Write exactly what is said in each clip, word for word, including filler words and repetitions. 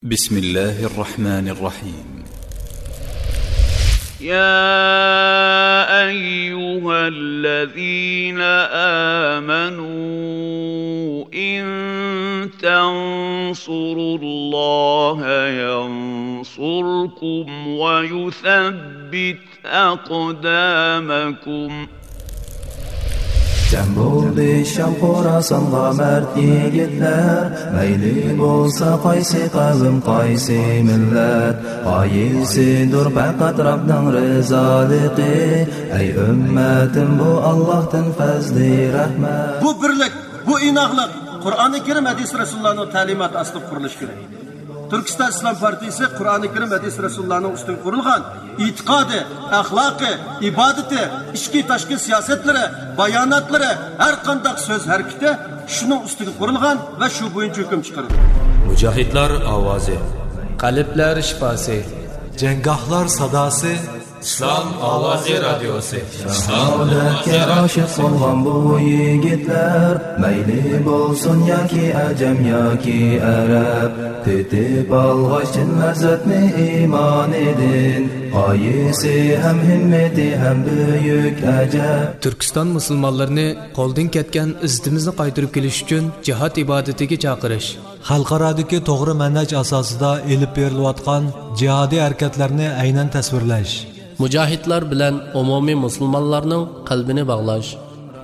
بسم الله الرحمن الرحيم. يا أيها الذين آمنوا إن تنصروا الله ينصركم ويثبت أقدامكم. جەم بولدى شام خوراسانغا مەرد يىگىتلەر، مەيلى بولسا قايسى قەۋم، قايسى مىللەت، غايىسىدۇر پەقەت رەبنىڭ رىزالىقى. ئەي ئۈممەتىم، بۇ ئاللاھتىن پەزلى رەھمەت. بۇ بىرلىك، بۇ ئىناقلىق قۇرئانى كەرىم، ھەدىس رەسۇلۇللانىڭ تەلىماتى ئاستىدا قۇرۇلۇشى كېرەك. تۈركىستان ئىسلام پارتىيىسى قۇرئانى كەرىم، ھەدىس رەسۇلۇللانىڭ ئۈستىگە قۇرۇلغان ئېتىقادى، ئەخلاقى، ئىبادىتى، ئىچكى تاشقى سىياسەتلىرى، باياناتلىرى، ھەر قانداق سۆز ھەرىكىتى شۇنىڭ ئۈستىگە قۇرۇلغان ۋە شۇ بويىچە ھۆكۈم چىقىرىدۇ. مۇجاھىدلار ئاۋازى. قەلبلەر شىپاسى. جەڭگاھلار ساداسى. ئىسلام ئاۋازى رادىيوسى. شاھادەتكە ئاشىق بولغان بۇ يىگىتلەر، مەيلى بولسۇن ياكى ئەجەم ياكى ئەرەب، تېتىپ ئالغاچ چىن لەززەتنى ئىمانىدىن، غايىسى ھەم ھىممىتى ھەم بۈيۈك ئەجەب. تۈركىستان مۇسۇلمانلىرىنى قولدىن كەتكەن ئىززىتىمىزنى قايتۇرۇپ كېلىش ئۈچۈن جىھاد ئىبادىتىگە چاقىرىش. خەلقئارادىكى توغرا مەنھەج ئاساسىدا ئېلىپ بېرىلىۋاتقان جىھادىي ھەرىكەتلەرنى ئەينەن تەسۋىرلەش. مۇجاھىدلار بىلەن ئومۇمىي مۇسۇلمانلارنىڭ قەلبىنى باغلاش.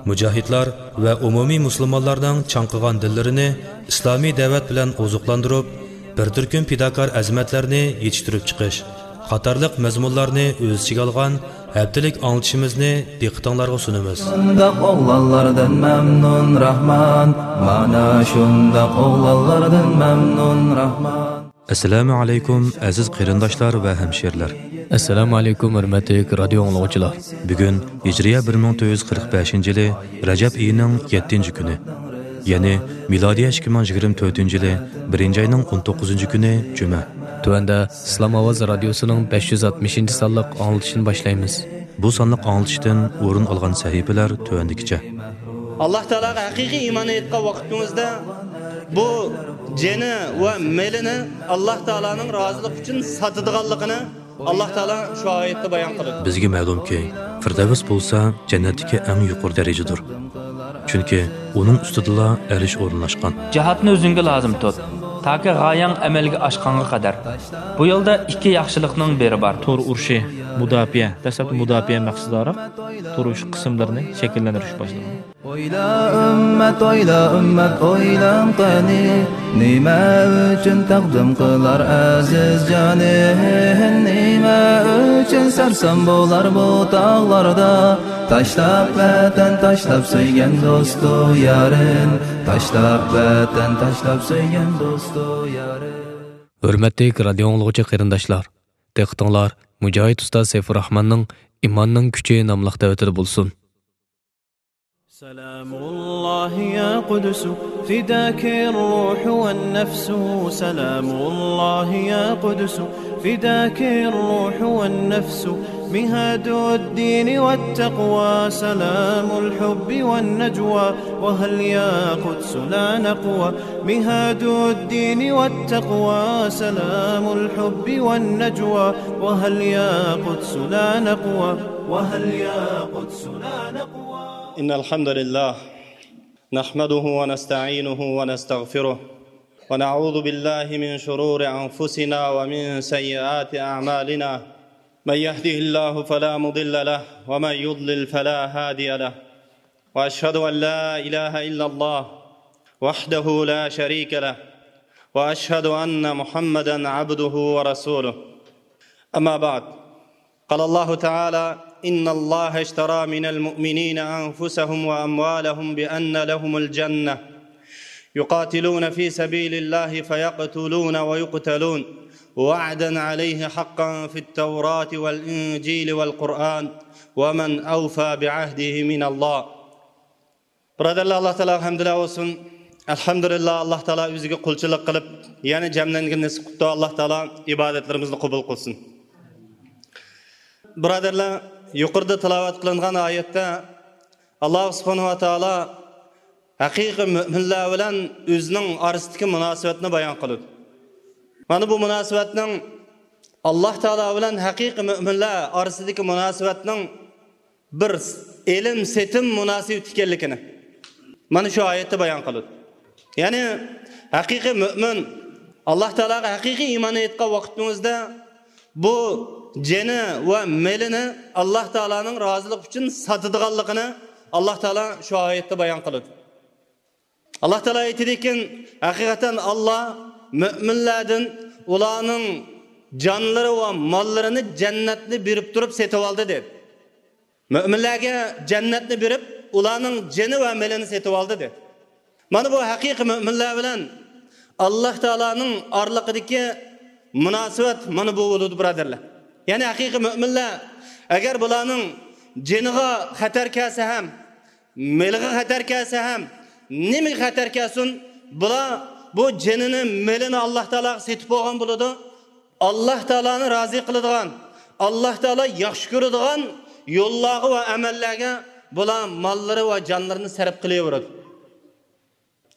مۇجاھىدلار ۋە ئومۇمىي مۇسۇلمانلارنىڭ چاڭقىغان دىللىرىنى ئىسلامىي دەۋەت بىلەن ئوزۇقلاندۇرۇپ، بىر تۈركۈم پىداكار ئەزىمەتلەرنى يېتىشتۈرۈپ چىقىش قاتارلىق مەزمۇنلارنى ئۆز ئىچىگە ئالغان ھەپتىلىك ئاڭلىتىشىمىزنى دىققىتىڭلارغا سۇنىمىز. شۇنداق ئوغلانلاردىن مەمنۇن راھمان، مانا شۇنداق ئوغلانلاردىن مەمنۇن راھمان. ئەسسالامۇ ئەلەيكۇم، ئەزىز قېرىنداشلار ۋە ھەمشىرىلەر. ئەسسالامۇ ئەلەيكۇم، ھۆرمەتلىك رادىيو ئاڭلىغۇچىلار. بۈگۈن ھىجرىيە بىر مىڭ تۆت يۈز قىرىق بەشىنچى يىلى رەجەب ئېيىنىڭ يەتتىنچى كۈنى، يەنى مىلادىيە ئىككى مىڭ يىگىرمە تۆتىنچى يىلى بىرىنچى ئاينىڭ ئون توققۇزىنچى كۈنى، جۈمە. تۆۋەندە ئىسلام ئاۋازى رادىيوسىنىڭ بەش يۈز ئاتمىشىنچى سانلىق ئاڭلىتىشىنى باشلايمىز. بۇ سانلىق ئاڭلىتىشتىن ئورۇن ئالغان سەھىپىلەر تۆۋەندىكىچە. ئاللاھ تائالاغا ھەقىقىي ئىمان ئېيتقان ۋاقتىڭىزدا بۇ جېنى ۋە مېلىنى ئاللاھ تائالانىڭ رازىلىقى ئۈچۈن ساتىدىغانلىقىنى ئاللاھ تائالا شۇ ئايەتتە بايان قىلىدۇ. بىزگە مەلۇمكى، فىردەۋس بولسا جەننەتتىكى ئەڭ يۇقىرى دەرىجىدۇر. چۈنكى ئۇنىڭ ئۈستىدىلا ئەرش ئورۇنلاشقان. جىھادنى ئۆزۈڭگە لازىم تۇت، تاكى غايەڭ ئەمەلگە ئاشقانغا قەدەر. بۇ يولدا ئىككى ياخشىلىقنىڭ بىرى بار. تور ئۇرۇشى، مۇداپىئە، دەسلەپتە مۇداپىئە مەقسىتىدارەك، تور ئۇرۇشى قىسىملىرىنى شەكىللەندۈرۈش باشلىنىدۇ. ئويلا ئۈممەت، ئويلا ئۈممەت، ئويلاڭ قېنى، نېمە ئۈچۈن تەقدىم قىلار ئەزىز جانى؟ نېمە ئۈچۈن سەرسان بولار بۇ تاغلاردا؟ تاشلاپ ۋەتەن، تاشلاپ سۆيگەن دوستۇ يارىن، تاشلاپ ۋەتەن، تاشلاپ سۆيگەن دوستۇ يارىن. ھۆرمەتلىك رادىيو ئاڭلىغۇچى قېرىنداشلار، دىققىتىڭلار مۇجاھىد ئۇستاز سەيپۇرراھماننىڭ ئىماننىڭ كۈچى ناملىق دەۋىتىدە بولسۇن. سلام الله يا قدس، فداك الروح والنفس. سلام الله يا قدس، فداك الروح والنفس. مهاد الدين والتقوى، سلام الحب والنجوى. وهل يا قدس لا نقوى؟ مهاد الدين والتقوى، سلام الحب والنجوى. وهل يا قدس لا نقوى؟ وهل يا قدس لا نقوى؟ إن الحمد لله نحمده ونستعينه ونستغفره، ونعوذ بالله من شرور أنفسنا ومن سيئات أعمالنا. من يهده الله فلا مضل له، ومن يضلل فلا هادي له. وأشهد أن لا إله إلا الله وحده لا شريك له، وأشهد أن محمدا عبده ورسوله. أما بعد، قال الله تعالى: إن الله اشترى من المؤمنين أنفسهم وأموالهم بأن لهم الجنة، يقاتلون في سبيل الله فيقتلون ويقتلون، وعدا عليه حقا في التوراة والإنجيل والقرآن، ومن أوفى بعهده من الله. بۇرادەرلەر، ئاللاھ تائالاغا ھەمدۇلە بولسۇن. ئەلھەمدۇلىللاھ، ئاللاھ تائالا ئۆزىگە قۇلچىلىق قىلىپ، يەنە جەملەنگىنى نېسىپ قىپتۇ. ئاللاھ تائالا ئىبادەتلىرىمىزنى قوبۇل قىلسۇن. بۇرادەرلەر، يۇقىرىدا تىلاۋەت قىلىنغان ئايەتتە ئاللاھ سۇبھانەھۇ ۋە تائالا ھەقىقىي مۆمىنلەر بىلەن ئۆزىنىڭ ئارىسىدىكى مۇناسىۋەتنى بايان قىلىدۇ. مانا بۇ مۇناسىۋەتنىڭ، ئاللاھ تائالا بىلەن ھەقىقىي مۆمىنلەر ئارىسىدىكى مۇناسىۋەتنىڭ بىر ئېلىم-سېتىم مۇناسىۋىتى ئىكەنلىكىنى مانا شۇ ئايەتتە بايان قىلىدۇ. يەنى ھەقىقىي مۆمىن، ئاللاھ تائالاغا ھەقىقىي ئىمان ئېيتقان ۋاقتىمىزدا بۇ جېنى ۋە مېلىنى ئاللاھ تائالانىڭ رازىلىقى ئۈچۈن ساتىدىغانلىقىنى ئاللاھ تائالا شۇ ئايەتتە بايان قىلىدۇ. ئاللاھ تائالا ئېيتىدىكەن، ھەقىقەتەن ئاللاھ مۆمىنلەردىن ئۇلارنىڭ جانلىرى ۋە ماللىرىنى جەننەتنى بېرىپ تۇرۇپ سېتىۋالدى، دېدى. مۆمىنلەرگە جەننەتنى بېرىپ، ئۇلارنىڭ جېنى ۋە مېلىنى سېتىۋالدى، دېدى. مانا بۇ ھەقىقىي مۆمىنلەر بىلەن ئاللاھ تائالانىڭ ئارىلىقىدىكى مۇناسىۋەت مانا بۇ بولىدۇ، بۇرادەرلەر. يەنى ھەقىقىي مۆمىنلەر، ئەگەر بۇلارنىڭ جېنىغا خەتەر كەلسە ھەم، مېلىغا خەتەر كەلسە ھەم، نېمىگە خەتەر كەلسۇن، بۇلار بۇ جېنىنى، مېلىنى ئاللاھ تائالاغا سېتىپ بولغان بولىدۇ. ئاللاھ تائالانى رازى قىلىدىغان، ئاللاھ تائالا ياخشى كۆرىدىغان يوللارغا ۋە ئەمەللەرگە بۇلار ماللىرى ۋە جانلىرىنى سەرپ قىلىۋېرىدۇ.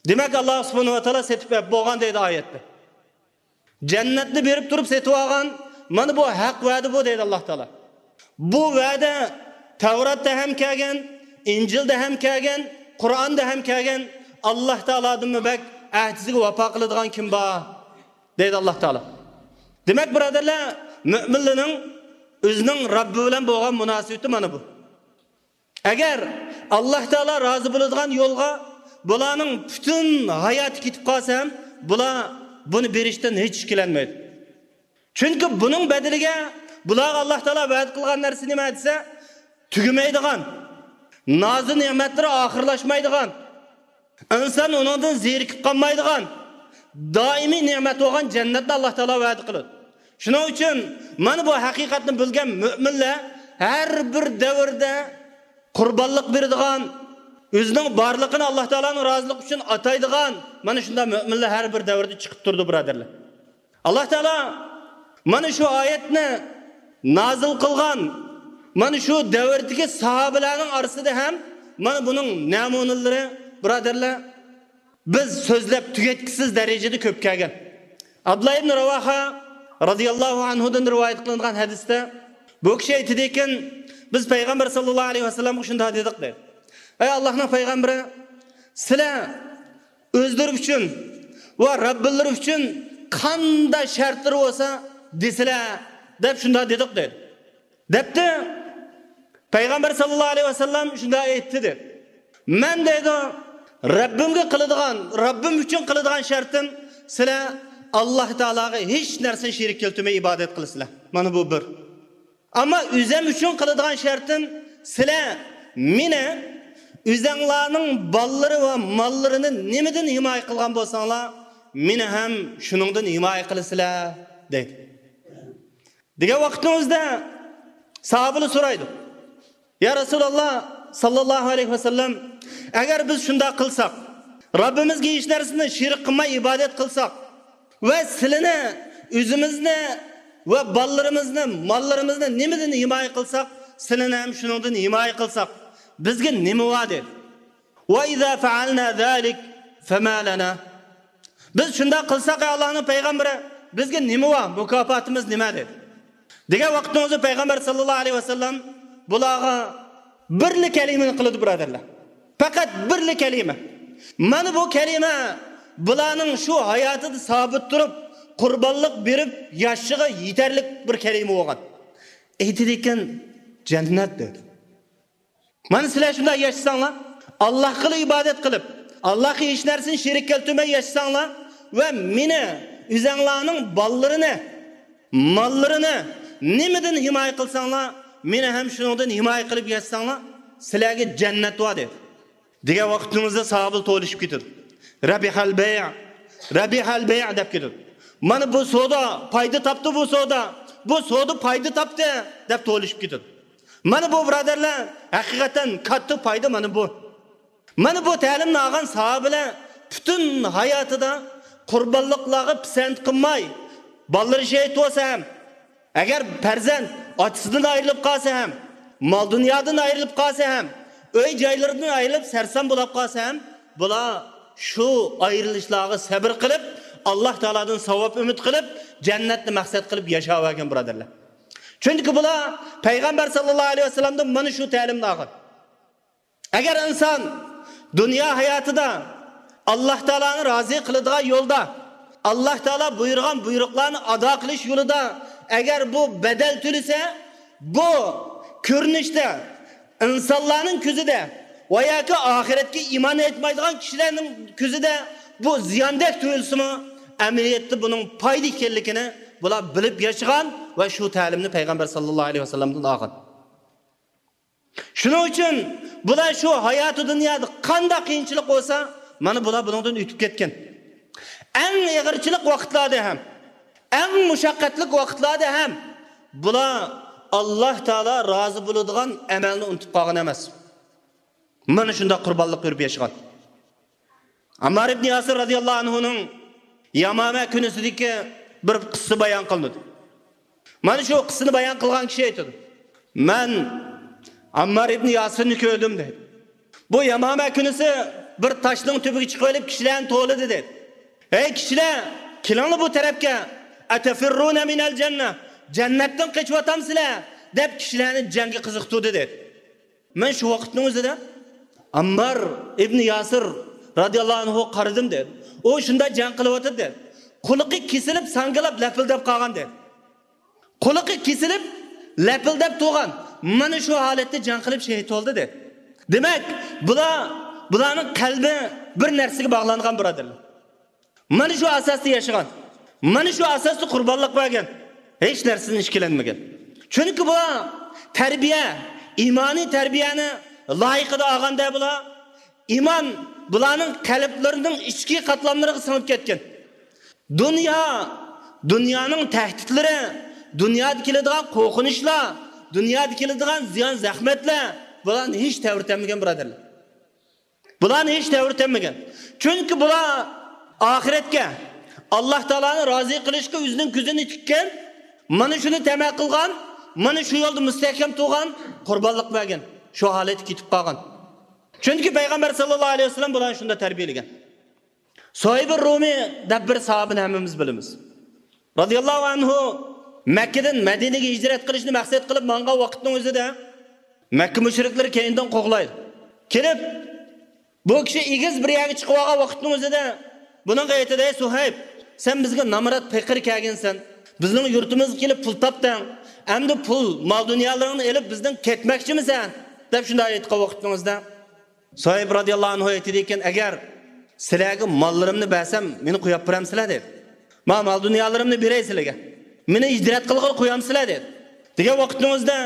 دېمەك، ئاللاھ سۇبھانەھۇ ۋە تائالا سېتىپ بەرىپ بولغان دەيدۇ ئايەتتە. جەننەتنى بېرىپ تۇرۇپ سېتىۋالغان، مانا بۇ ھەق ۋەدە بۇ، دەيدۇ ئاللاھ تائالا. بۇ ۋەدە تەۋراتتا ھەم كەلگەن، ئىنجىلدا ھەم كەلگەن، قۇرئاندا ھەم كەلگەن. ئاللاھ تائالادىنمۇ بەك ئەھدىسىگە ۋاپا قىلىدىغان كىم بار؟ دەيدۇ ئاللاھ تائالا. دېمەك، بۇرادەرلەر، مۆمىنلەرنىڭ ئۆزىنىڭ رەببى بىلەن بولغان مۇناسىۋىتى مانا بۇ. ئەگەر ئاللاھ تائالا رازى بولىدىغان يولغا بۇلارنىڭ پۈتۈن ھاياتى كېتىپ قالسا ھەم، بۇلار بۇنى بېرىشتىن ھېچ ئىككىلەنمەيدۇ. چۈنكى بۇنىڭ بەدىلىگە بۇلارغا ئاللاھ تائالا ۋەدە قىلغان نەرسە نېمە دېسە، تۈگىمەيدىغان، نازۇ نېمەتلىرى ئاخىرلاشمايدىغان، ئىنسان ئۇنىڭدىن زېرىكىپ قالمايدىغان، دائىمىي نېمەت بولغان جەننەتنى ئاللاھ تائالا ۋەدە قىلىدۇ. شۇنىڭ ئۈچۈن مانا بۇ ھەقىقەتنى بىلگەن مۆمىنلەر ھەر بىر دەۋردە قۇربانلىق بېرىدىغان، ئۆزىنىڭ بارلىقىنى ئاللاھ تائالانىڭ رازىلىقى ئۈچۈن ئاتايدىغان، مانا شۇنداق مۆمىنلەر ھەر بىر دەۋردە چىقىپ تۇرىدۇ، بۇرادەرلەر. ئاللاھ تائالا مانا شۇ ئايەتنى نازىل قىلغان، مانا شۇ دەۋردىكى ساھابىلەرنىڭ ئارىسىدا ھەم مانا بۇنىڭ نەمۇنىلىرى، بۇرادەرلەر، بىز سۆزلەپ تۈگەتكۈسىز دەرىجىدە كۆپ كەلگەن. ئابدۇللا ئىبن راۋاھا رازىياللاھۇ ئەنھۇدىن رىۋايەت قىلىنغان ھەدىستە بۇ كىشى ئېيتىدىكەن، بىز پەيغەمبەر ساللاللاھۇ ئەلەيھى ۋەسەللەمگە شۇنداق دېدۇق، دەيدۇ. ئەي ئاللاھنىڭ پەيغەمبىرى، سىلەر ئۆزلىرى ئۈچۈن ۋە رەببىلىرى ئۈچۈن قانداق شەرتلىرى بولسا دېسىلە، دەپ شۇنداق دېدۇق، دەيدۇ. دەپتۇ، پەيغەمبەر ساللاللاھۇ ئەلەيھى ۋەسەللەم شۇنداق ئېيتتى، دەيدۇ. مەن، دەيدۇ، رەببىمگە قىلىدىغان، رەببىم ئۈچۈن قىلىدىغان شەرتىم، سىلەر ئاللاھ تائالاغا ھېچ نەرسىنى شېرىك كەلتۈرمەي ئىبادەت قىلىسىلەر. مانا بۇ بىر. ئەمما ئۆزۈم ئۈچۈن قىلىدىغان شەرتىم، سىلەر مېنى، ئۆزەڭلارنىڭ بالىلىرى ۋە ماللىرىنى نېمىدىن ھىمايە قىلغان بولساڭلار، مېنى ھەم شۇنىڭدىن ھىمايە قىلىسىلەر، دەيدۇ. دېگەن ۋاقىتنىڭ ئۆزىدە ساھابىلەر سورايدۇ، يا رەسۇلاللاھ ساللاللاھۇ ئەلەيھى ۋەسەللەم، ئەگەر بىز شۇنداق قىلساق، رەببىمىزگە ھېچ نەرسىنى شېرىك قىلماي ئىبادەت قىلساق، ۋە سىلىنى، ئۆزىمىزنى ۋە بالىلىرىمىزنى، ماللىرىمىزنى نېمىدىن ھىمايە قىلساق، سىلىنى ھەم شۇنىڭدىن ھىمايە قىلساق، بىزگە نېمە بار؟ دېدى. وَإِذَا فَعَلْنَا ذَلِكَ فَمَا لَنَا. بىز شۇنداق قىلساق، ئەي ئاللاھنىڭ پەيغەمبىرى، بىزگە نېمە بار؟ مۇكاپاتىمىز نېمە؟ دېدى. دېگەن ۋاقتىڭىزدا پەيغەمبەر ساللاللاھۇ ئەلەيھى ۋەسەللەم بۇلارغا بىرلا كەلىمىنى قىلىدۇ، بۇرادەرلەر. پەقەت بىرلا كەلىمە. مانا بۇ كەلىمە بۇلارنىڭ شۇ ھاياتىدا سابىت تۇرۇپ، قۇربانلىق بېرىپ ياشىشىغا يېتەرلىك بىر كەلىمە بولغان. ئېيتىدىكەن، جەننەت، دېدى. مانا سىلەر شۇنداق ياشىساڭلار، ئاللاھقىلا ئىبادەت قىلىپ، ئاللاھقا ھېچ نەرسىنى شېرىك كەلتۈرمەي ياشىساڭلار ۋە مېنى، ئۆزەڭلارنىڭ بالىلىرىنى، ماللىرىنى نېمىدىن ھىمايە قىلساڭلار، مېنى ھەم شۇنىڭدىن ھىمايە قىلىپ ياشىساڭلار، سىلەرگە جەننەت بار، دېدى. دېگەن ۋاقتىمىزدا ساھابىلەر توۋلىشىپ كېتىدۇ. رەبىھەل بەيئ، رەبىھەل بەيئ دەپ كېتىدۇ. مانا بۇ سودا پايدا تاپتى، بۇ سودا، بۇ سودا پايدا تاپتى دەپ توۋلىشىپ كېتىدۇ. مانا بۇ، بۇرادەرلەر، ھەقىقەتەن كاتتا پايدا مانا بۇ. مانا بۇ تەلىمنى ئالغان ساھابىلەر پۈتۈن ھاياتىدا قۇربانلىقلارغا پىسەنت قىلماي، بالىلىرى شېھىت بولسا ھەم، ئەگەر پەرزەنت ئاتىسىدىن ئايرىلىپ قالسا ھەم، مال-دۇنيادىن ئايرىلىپ قالسا ھەم، ئۆي-جايلىرىدىن ئايرىلىپ سەرسان بولاپ قالسا ھەم، بۇلار شۇ ئايرىلىشلارغا سەبرى قىلىپ، ئاللاھ تائالادىن ساۋاب ئۈمىد قىلىپ، جەننەتنى مەقسەت قىلىپ ياشاۋەرگەن، بۇرادەرلەر. چۈنكى بۇلار پەيغەمبەر ساللاللاھۇ ئەلەيھى ۋەسەللەمدىن مانا شۇ تەلىمنى ئالغان. ئەگەر ئىنسان دۇنيا ھاياتىدا ئاللاھ تائالانى رازى قىلىدىغان يولدا، ئاللاھ تائالا بۇيرۇغان بۇيرۇقلارنى ئادا قىلىش يولىدا ئەگەر بۇ بەدەل تۆلىسە، بۇ كۆرۈنۈشتە ئىنسانلارنىڭ كۆزىدە ۋە ياكى ئاخىرەتكە ئىمان ئېيتمايدىغان كىشىلەرنىڭ كۆزىدە بۇ زىياندەك تۇيۇلسىمۇ، ئەمەلىيەتتە بۇنىڭ پايدا ئىكەنلىكىنى بۇلار بىلىپ ياشىغان ۋە شۇ تەلىمنى پەيغەمبەر ساللاللاھۇ ئەلەيھى ۋەسەللەمدىن ئالغان. شۇنىڭ ئۈچۈن بۇلار شۇ ھاياتى دۇنيادا قانداق قىيىنچىلىق بولسا، مانا بۇلار بۇنىڭدىن ئۆتۈپ كەتكەن. ئەڭ ئېغىرچىلىق ۋاقىتلاردا ھەم، ئەڭ مۇشەققەتلىك ۋاقىتلاردا ھەم بۇلار ئاللاھ تائالا رازى بولىدىغان ئەمەلنى ئۇنتۇپ قالغان ئەمەس. مانا شۇنداق قۇربانلىق بېرىپ ياشىغان. ئاممار ئىبنى ياسىر رازىياللاھۇ ئەنھۇنىڭ يامامە كۈنىسىدىكى بىر قىسسە بايان قىلىنىدۇ. مانا شۇ قىسسىنى بايان قىلغان كىشى ئېيتىدۇ، مەن ئاممار ئىبنى ياسىرنى كۆردۈم، دەيدۇ. بۇ يامامە كۈنىسى بىر تاشنىڭ تۈۋىگە چىقىۋېلىپ كىشىلەرنى توۋلىدى، دەيدۇ. ھەي كىشىلەر، كېلىڭلار بۇ تەرەپكە. ئەتەفىررۇنە مىنەل جەننە، جەننەتتىن قېچىۋاتامسىلەر؟ دەپ كىشىلەرنى جەڭگە قىزىقتۇردى، دەيدۇ. مەن شۇ ۋاقىتنىڭ ئۆزىدە ئاممار ئىبنى ياسىر رازىياللاھۇ ئەنھۇغا قارىدىم، دەيدۇ. ئۇ شۇنداق جەڭ قىلىۋاتىدۇ، دەيدۇ. قۇلىقى كېسىلىپ، ساڭگىلاپ، لەپىلدەپ قالغان، دەيدۇ. قۇلىقى كېسىلىپ، لەپىلدەپ تۇرغان، مانا شۇ ھالەتتە جەڭ قىلىپ شېھىت بولدى، دەيدۇ. دېمەك، بۇلار، بۇلارنىڭ قەلبى بىر نەرسىگە باغلانغان، بۇرادەرلەر. مانا شۇ ئاساستا ياشىغان، مانا شۇ ئاساستا قۇربانلىق بەرگەن، ھېچ نەرسىدىن ئىككىلەنمىگەن. چۈنكى بۇلار تەربىيە، ئىمانىي تەربىيەنى لايىقىدا ئالغاندا بۇلار، ئىمان بۇلارنىڭ قەلبلىرىنىڭ ئىچكى قاتلاملىرىغا سىڭىپ كەتكەن. دۇنيا، دۇنيانىڭ تەھدىتلىرى، دۇنيادا كېلىدىغان قورقۇنچلار، دۇنيادا كېلىدىغان زىيان-زەخمەتلەر بۇلارنى ھېچ تەۋرىتەلمىگەن، بۇرادەرلەر. بۇلارنى ھېچ تەۋرىتەلمىگەن. چۈنكى بۇلار ئاخىرەتكە، ئاللاھ تائالانى رازى قىلىشقا ئۆزىنىڭ كۆزىنى تىككەن، مانا شۇنى تەمە قىلغان، مانا شۇ يولدا مۇستەھكەم تۇرغان، قۇربانلىق بەرگەن، شۇ ھالەتكە يېتىپ قالغان. چۈنكى پەيغەمبەر ساللاللاھۇ ئەلەيھى ۋەسەللەم بۇلارنى شۇنداق تەربىيەلىگەن. سۇھەيب رۇمى دەپ بىر ساھابىنى ھەممىمىز بىلىمىز. رازىياللاھۇ ئەنھۇ مەككىدىن مەدىنىگە ھىجرەت قىلىشنى مەقسەت قىلىپ ماڭغان ۋاقىتنىڭ ئۆزىدە مەككە مۇشرىكلىرى كەينىدىن قوغلايدۇ. كېلىپ، بۇ كىشى ئېگىز بىر يەرگە چىقىپ ئالغان ۋاقىتنىڭ ئۆزىدە بۇنىڭغا ئېيتىدۇ، ئەي سۇھەيب، سەن بىزگە نامرات پېقىر كەلگەنسەن، بىزنىڭ يۇرتىمىزغا كېلىپ پۇل تاپتىڭ، ئەمدى پۇل، مال-دۇنيالىرىڭنى ئېلىپ بىزدىن كەتمەكچىمىسەن؟ دەپ شۇنداق ئېيتقان ۋاقىتنىڭىزدا، سۇھەيب رازىياللاھۇ ئەنھۇ ئېيتىدىكەن، ئەگەر سىلەرگە ماللىرىمنى بەرسەم، مېنى قويۇپ بېرەمسىلەر؟ دېدى. ما مال دۇنيالىرىمنى بېرەي سىلەرگە. مېنى ھىجرەت قىلغىلى قويامسىلەر؟ دېدى. دېگەن ۋاقتىڭىزدا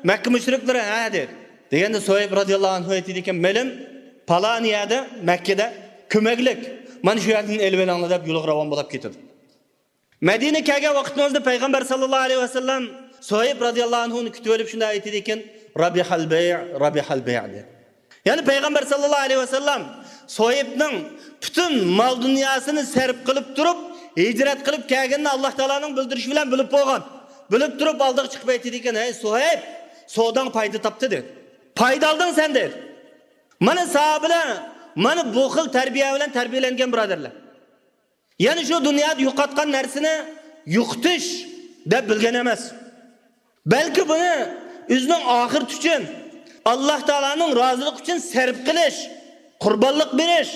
مەككە مۇشرىكلىرى، ھە، دېدى. دېگەندە سۇھەيب رازىياللاھۇ ئەنھۇ ئېيتىدىكەن، مېلىم پالان يەردە، مەككىدە كۆمەكلىك، مانا شۇ يەردىن ئېلىۋېلىڭلار دەپ يولغا راۋان بولۇپ كېتىدۇ. مەدىنە كەلگەن ۋاقتىڭىزدا پەيغەمبەر ساللاللاھۇ ئەلەيھى ۋەسەللەم سۇھەيب رازىياللاھۇ ئەنھۇنى كۈتۈۋېلىپ شۇنداق ئېيتىدىكەن، رابىھەل بەيئ، رابىھەل بەيئ، دېدى. يەنى پەيغەمبەر ساللاللاھۇ ئەلەيھى ۋەسەللەم سۇھەيبنىڭ پۈتۈن مال دۇنياسىنى سەرپ قىلىپ تۇرۇپ، ھىجرەت قىلىپ كەلگىنىنى ئاللاھ تائالانىڭ بىلدۈرۈشى بىلەن بىلىپ بولغان. بىلىپ تۇرۇپ ئالدىغا چىقىپ ئېيتىدىكەن، ھەي سۇھەيب، سوداڭ پايدا تاپتى، دېدى. پايدا ئالدىڭ سەن، دېدى. مانا ساھابىلەر مانا بۇ خىل تەربىيە بىلەن تەربىيەلەنگەن، بۇرادەرلەر. يەنى شۇ دۇنيادا يوقاتقان نەرسىنى يوقىتىش دەپ بىلگەن ئەمەس. بەلكى بۇنى ئۆزىنىڭ ئاخىرىتى ئۈچۈن، ئاللاھ تائالانىڭ رازىلىقى ئۈچۈن سەرپ قىلىش، قۇربانلىق بېرىش،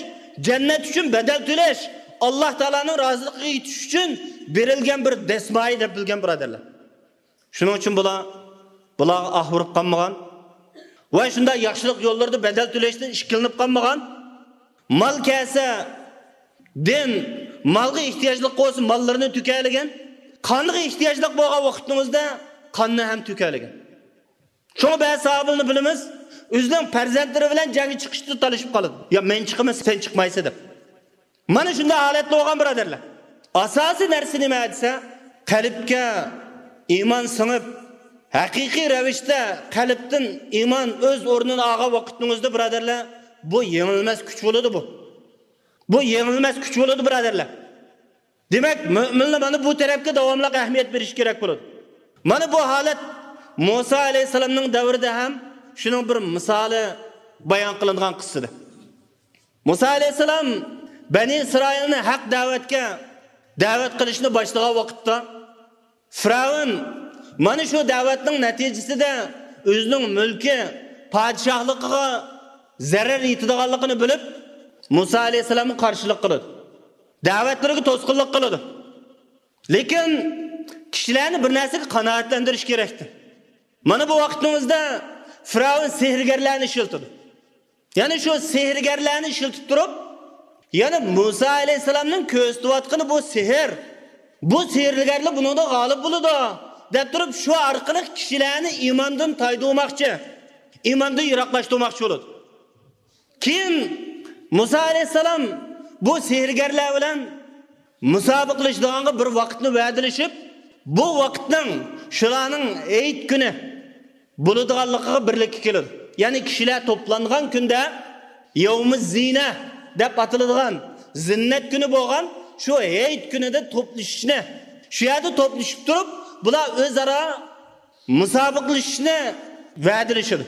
جەننەت ئۈچۈن بەدەل تۆلەش، ئاللاھ تائالانىڭ رازىلىقىغا يېتىش ئۈچۈن بېرىلگەن بىر دەسمايە دەپ بىلگەن، بۇرادەرلەر. شۇنىڭ ئۈچۈن بۇلار، بۇلارغا ئاھ ئۇرۇپ قالمىغان ۋە شۇنداق ياخشىلىق يوللىرىدا بەدەل تۆلەشتىن ئىككىلىنىپ قالمىغان. مال كەلسە، دىن مالغا ئېھتىياجلىق بولسا ماللىرىنى تۆكەلىگەن، قانغا ئېھتىياجلىق بولغان ۋاقتىڭىزدا قاننى ھەم تۆكەلىگەن. شۇڭا بەزى ساھابىلەرنى بىلىمىز، ئۆزىنىڭ پەرزەنتلىرى بىلەن جەڭگە چىقىشتا تالىشىپ قالىدۇ. يا مەن چىقىمەن، سەن چىقمايسەن دەپ. مانا شۇنداق ھالەتتە بولغان، بۇرادەرلەر. ئاساسىي نەرسە نېمە دېسە، قەلبكە ئىمان سىڭىپ، ھەقىقىي رەۋىشتە قەلبتىن ئىمان ئۆز ئورنىنى ئالغان ۋاقىتنىڭ ئۆزىدە، بۇرادەرلەر، بۇ يېڭىلمەس كۈچ بولىدۇ بۇ. بۇ يېڭىلمەس كۈچ بولىدۇ، بۇرادەرلەر. دېمەك، مۆمىنلەر مانا بۇ تەرەپكە داۋاملىق ئەھمىيەت بېرىشى كېرەك بولىدۇ. مانا بۇ ھالەت مۇسا ئەلەيھىسسالامنىڭ دەۋرىدە ھەم شۇنىڭ بىر مىسالى بايان قىلىنغان قىسسىدە. مۇسا ئەلەيھىسسالام بەنى ئىسرائىلنى ھەق دەۋەتكە دەۋەت قىلىشنى باشلىغان ۋاقىتتا، فىرئەۋن مانا شۇ دەۋەتنىڭ نەتىجىسىدە ئۆزىنىڭ مۈلكى، پادىشاھلىقىغا زەرەر يېتىدىغانلىقىنى بىلىپ، مۇسا ئەلەيھىسسالامغا قارشىلىق قىلىدۇ. دەۋەتلىرىگە توسقۇنلۇق قىلىدۇ. لېكىن كىشىلەرنى بىر نەرسىگە قانائەتلەندۈرۈش كېرەكتى. مانا بۇ ۋاقىتنىڭ ئۆزىدە فىرئەۋن سېھىرگەرلەرنى ئىشلىتىدۇ. يەنى شۇ سېھىرگەرلەرنى ئىشلىتىپ تۇرۇپ، يەنى مۇسا ئەلەيھىسسالامنىڭ كۆرسىتىۋاتقىنى بۇ سېھىر. بۇ سېھىرگەرلەر بۇنىڭدا غالىب بولىدۇ، دەپ تۇرۇپ، شۇ ئارقىلىق كىشىلەرنى ئىماندىن تايدۇرماقچى، ئىماندىن يىراقلاشتۇرماقچى بولىدۇ. كېيىن مۇسا ئەلەيھىسسالام بۇ سېھىرگەرلەر بىلەن مۇسابىقىلىشىدىغانغا بىر ۋاقىتنى ۋەدىلىشىپ، بۇ ۋاقىتنىڭ شۇلارنىڭ ھېيت كۈنى بولىدىغانلىقىغا بىرلىككە كېلىدۇ. يەنى كىشىلەر توپلانغان كۈندە يەۋمۇ زىنە دەپ ئاتىلىدىغان زىننەت كۈنى بولغان شۇ ھېيت كۈنىدە توپلىشىشنى، شۇ يەردە توپلىشىپ تۇرۇپ، بۇلار ئۆزئارا مۇسابىقىلىشىشنى ۋەدىلىشىدۇ.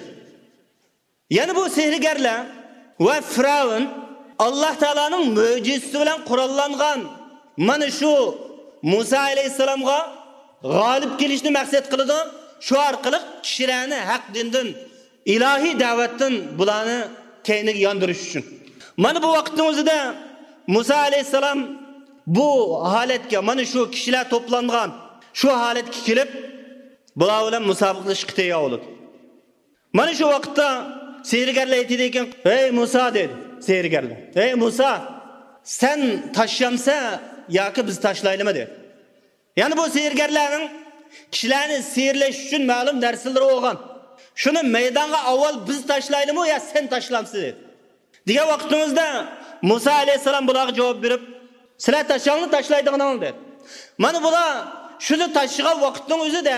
يەنە بۇ سېھىرگەرلەر ۋە فىرئەۋن ئاللاھ تائالانىڭ مۆجىزىسى بىلەن قوراللانغان مانا شۇ مۇسا ئەلەيھىسسالامغا غالىب كېلىشنى مەقسەت قىلىدۇ. شۇ ئارقىلىق كىشىلەرنى ھەق دىندىن، ئىلاھىي دەۋەتتىن بۇلارنى كەينىگە ياندۇرۇش ئۈچۈن. مانا بۇ ۋاقىتنىڭ ئۆزىدە مۇسا ئەلەيھىسسالام بۇ ھالەتكە، مانا شۇ كىشىلەر توپلانغان شۇ ھالەتكە كېلىپ، بۇلار بىلەن مۇسابىقىلىشىشقا تەييار بولىدۇ. مانا شۇ ۋاقىتتا سېھىرگەرلەر ئېيتىدىكەن، «ھەي مۇسا» دەيدۇ سېھىرگەرلەر، «ھەي مۇسا، سەن تاشلامسەن ياكى بىز تاشلايلىمۇ؟» دەيدۇ. يەنى بۇ سېھىرگەرلەرنىڭ كىشىلەرنى سېھىرلەش ئۈچۈن مەلۇم نەرسىلىرى بولغان. شۇنى مەيدانغا ئاۋۋال بىز تاشلايلىمۇ يا سەن تاشلامسەن دەيدۇ. دېگەن ۋاقتىمىزدا مۇسا ئەلەيھىسسالام بۇلارغا جاۋاب بېرىپ، سىلەر تاشلاڭلار، تاشلايدىغىنىڭلار دەيدۇ. مانا بۇلار شۇنى تاشلىغان ۋاقىتنىڭ ئۆزىدە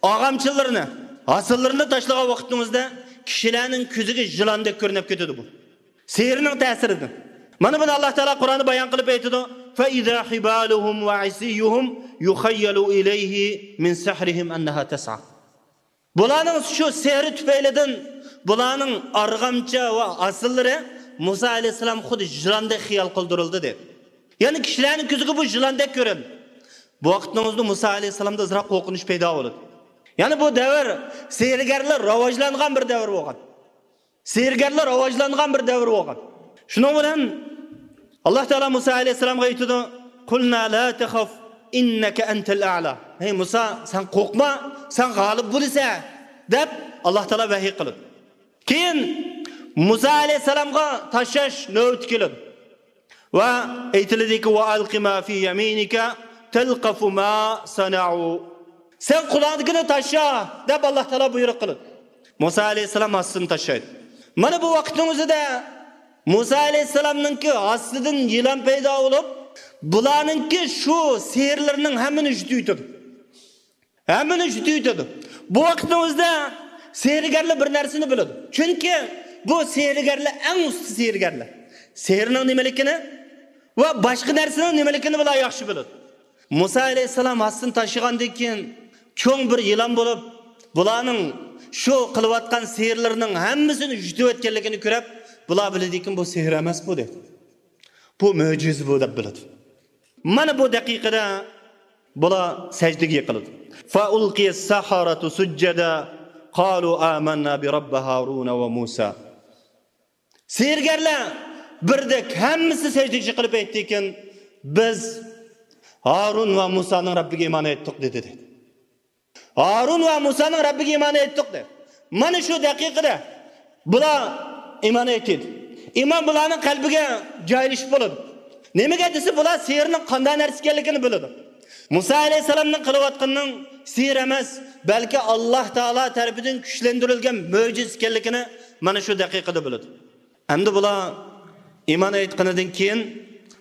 ئاغامچىلىرىنى، ھاسىللىرىنى تاشلىغان ۋاقىتنىڭ ئۆزىدە كىشىلەرنىڭ كۆزىگە يىلاندەك كۆرۈنۈپ كېتىدۇ بۇ. سېھىرنىڭ تەسىرىدىن. مانا بۇنى ئاللاھ تائالا قۇرئاندا بايان قىلىپ ئېيتىدۇ، فَإِذَا حِبَالُهُمْ وَعِصِيُّهُمْ يُخَيَّلُ إِلَيْهِ مِنْ سِحْرِهِمْ أَنَّهَا تَسْعَى. بۇلارنىڭ شۇ سېھرى تۈپەيلىدىن بۇلارنىڭ ئارغامچا ۋە ھاسىللىرى مۇسا ئەلەيھىسسالام خۇددى يىلاندەك خىيال قىلدۇرۇلدى دەيدۇ. يەنى كىشىلەرنىڭ كۆزىگە بۇ يىلاندەك كۆرۈندى. بۇ ۋاقىتنىڭ ئۆزىدە مۇسا ئەلەيھىسسالامدا ئازراق قورقۇنچ پەيدا بولىدۇ. يەنى بۇ دەۋر سېھىرگەرلەر راۋاجلانغان بىر دەۋر بولغان. سېھىرگەرلەر راۋاجلانغان بىر دەۋر بولغان. شۇنىڭ بىلەن ئاللاھ تائالا مۇسا ئەلەيھىسسالامغا ئېيتىدۇ، قۇلنا لا تەخەف ئىننەكە ئەنتەل ئەئلا. ھەي مۇسا، سەن قورقما، سەن غالىب بولىسەن، دەپ ئاللاھ تائالا ۋەھىي قىلىدۇ. كېيىن مۇسا ئەلەيھىسسالامغا تاشلاش نۆۋىتى كېلىدۇ. ۋە ئېيتىلىدىكى، ۋە ئەلقى ما فى يەمىنىكە تەلقەفۇ ما سەنەئۇ. سەن قولۇڭدىكىنى تاشلا، دەپ ئاللاھ تائالا بۇيرۇق قىلىدۇ. مۇسا ئەلەيھىسسالام ھاسىسىنى تاشلايدۇ. مانا بۇ ۋاقىتنىڭ ئۆزىدە مۇسا ئەلەيھىسسالامنىڭكى ھاسىسىدىن يىلان پەيدا بولۇپ، بۇلارنىڭكى شۇ سېھىرلىرىنىڭ ھەممىنى يۇتۇۋېتىدۇ. ھەممىنى يۇتۇۋېتىدۇ. بۇ ۋاقىتنىڭ ئۆزىدە سېھىرگەرلەر بىر نەرسىنى بىلىدۇ. چۈنكى بۇ سېھىرگەرلەر ئەڭ ئۇستا سېھىرگەرلەر. سېھىرنىڭ نېمىلىكىنى ۋە باشقا نەرسىنىڭ نېمىلىكىنى بۇلار ياخشى بىلىدۇ. مۇسا ئەلەيھىسسالام ھاسىسىنى تاشلىغاندىن كېيىن، چوڭ بىر يىلان بولۇپ، بۇلارنىڭ شۇ قىلىۋاتقان سېھىرلىرىنىڭ ھەممىسىنى يۇتۇۋەتكەنلىكىنى كۆرۈپ، بۇلار بىلىدىكىن، بۇ سېھىر ئەمەس بۇ، دەيدۇ. بۇ مۆجىزە بۇ، دەپ بىلىدۇ. مانا بۇ دەقىقىدە بۇلار سەجدىگە يىقىلىدۇ. فَأُلْقِيَ السَّحَرَةُ سُجَّدًا قَالُوا آمَنَّا بِرَبِّ هَارُونَ وَمُوسَى. سېھىرگەرلەر بىردەك ھەممىسى سەجدىگە يىقىلىپ ئېيتتىكىن، بىز ھارۇن ۋە مۇسانىڭ رەببىگە ئىمان ئېيتتۇق، دېدى، دەيدۇ. ھارۇن ۋە مۇسانىڭ رەببىگە ئىمان ئېيتتۇق، دەيدۇ. مانا شۇ دەقىقىدە بۇلار ئىمان ئېيتىدۇ. ئىمان بۇلارنىڭ قەلبىگە جايلىشىپ بولىدۇ. نېمىگە دېسە، بۇلار سېھىرنىڭ قانداق نەرسە ئىكەنلىكىنى بىلىدۇ. مۇسا ئەلەيھىسسالامنىڭ قىلىۋاتقىنىنىڭ سېھىر ئەمەس، بەلكى ئاللاھ تائالا تەرىپىدىن كۈچلەندۈرۈلگەن مۆجىزە ئىكەنلىكىنى مانا شۇ دەقىقىدە بىلىدۇ. ئەمدى بۇلار ئىمان ئېيتقىنىدىن كېيىن،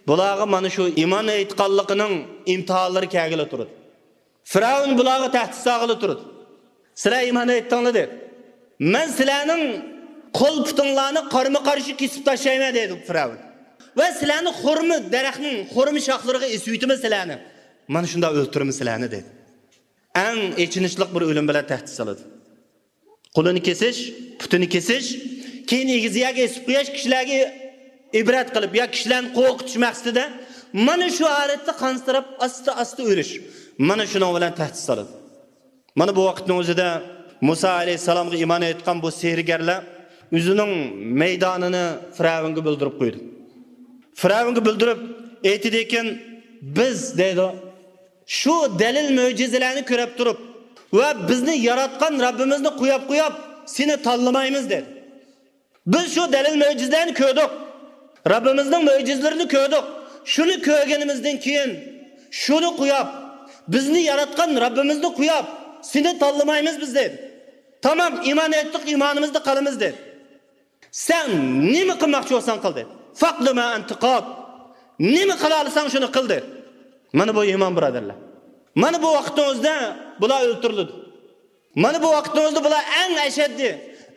بۇلارغا مانا شۇ ئىمان ئېيتقانلىقىنىڭ ئىمتىھانلىرى كەلگىلى تۇرىدۇ. فىرئەۋن بۇلارغا تەھدىت سالغىلى تۇرىدۇ. سىلەر ئىمان ئېيتتىڭلار دەپ، مەن سىلەرنىڭ قول-پۇتۇڭلارنى قارمۇ-قارشى كېسىپ تاشلايمەن، دەيدۇ فىرئەۋن. ۋە سىلەرنى خورما دەرەخنىڭ خورما شاخلىرىغا ئېسىۋېتىمەن سىلەرنى. مانا شۇنداق ئۆلتۈرىمەن سىلەرنى، دەيدۇ. ئەڭ ئېچىنىشلىق بىر ئۆلۈم بىلەن تەھدىت سالىدۇ. قولىنى كېسىش، پۇتىنى كېسىش، كېيىن ئېگىز يەرگە ئېسىپ قويۇش، كىشىلەرگە ئىبرەت قىلىپ يا كىشىلەرنى قورقۇتۇش مەقسىتىدە مانا شۇ ھالەتتە قانسىراپ، ئاستا-ئاستا ئۆلۈش. مانا شۇنىڭ بىلەن تەھدىت سالىدۇ. مانا بۇ ۋاقىتنىڭ ئۆزىدە مۇسا ئەلەيھىسسالامغا ئىمان ئېيتقان بۇ سېھىرگەرلەر ئۆزىنىڭ مەيدانىنى فىرئەۋنگە بىلدۈرۈپ قويدى. فىرئەۋنگە بىلدۈرۈپ ئېيتىدىكەن، «بىز» دەيدۇ، «شۇ دەلىل مۆجىزىلەرنى كۆرۈپ تۇرۇپ ۋە بىزنى ياراتقان رەببىمىزنى قوياپ قوياپ سېنى تاللىمايمىز» دېدى. «بىز شۇ دەلىل مۆجىزىلەرنى كۆردۇق. رەببىمىزنىڭ مۆجىزىلىرىنى كۆردۇق. شۇنى كۆرگىنىمىزدىن كېيىن شۇنى قوياپ، بىزنى ياراتقان رەببىمىزنى قوياپ سېنى تاللىمايمىز بىز» دېدى. «تامام، ئىمان ئېيتتۇق، ئىمانىمىزدا قالىمىز» دېدى. «سەن نېمە قىلماقچى بولساڭ قىل» دېدى. «فاقد ما ئەنتە قاد. نېمە قىلالىساڭ شۇنى قىل» دېدى. مانا بۇ ئىمان، بۇرادەرلەر. مانا بۇ ۋاقىتنىڭ ئۆزىدە بۇلار ئۆلتۈرۈلىدۇ. مانا بۇ ۋاقىتنىڭ ئۆزىدە بۇلار ئەڭ ئەشەددىي،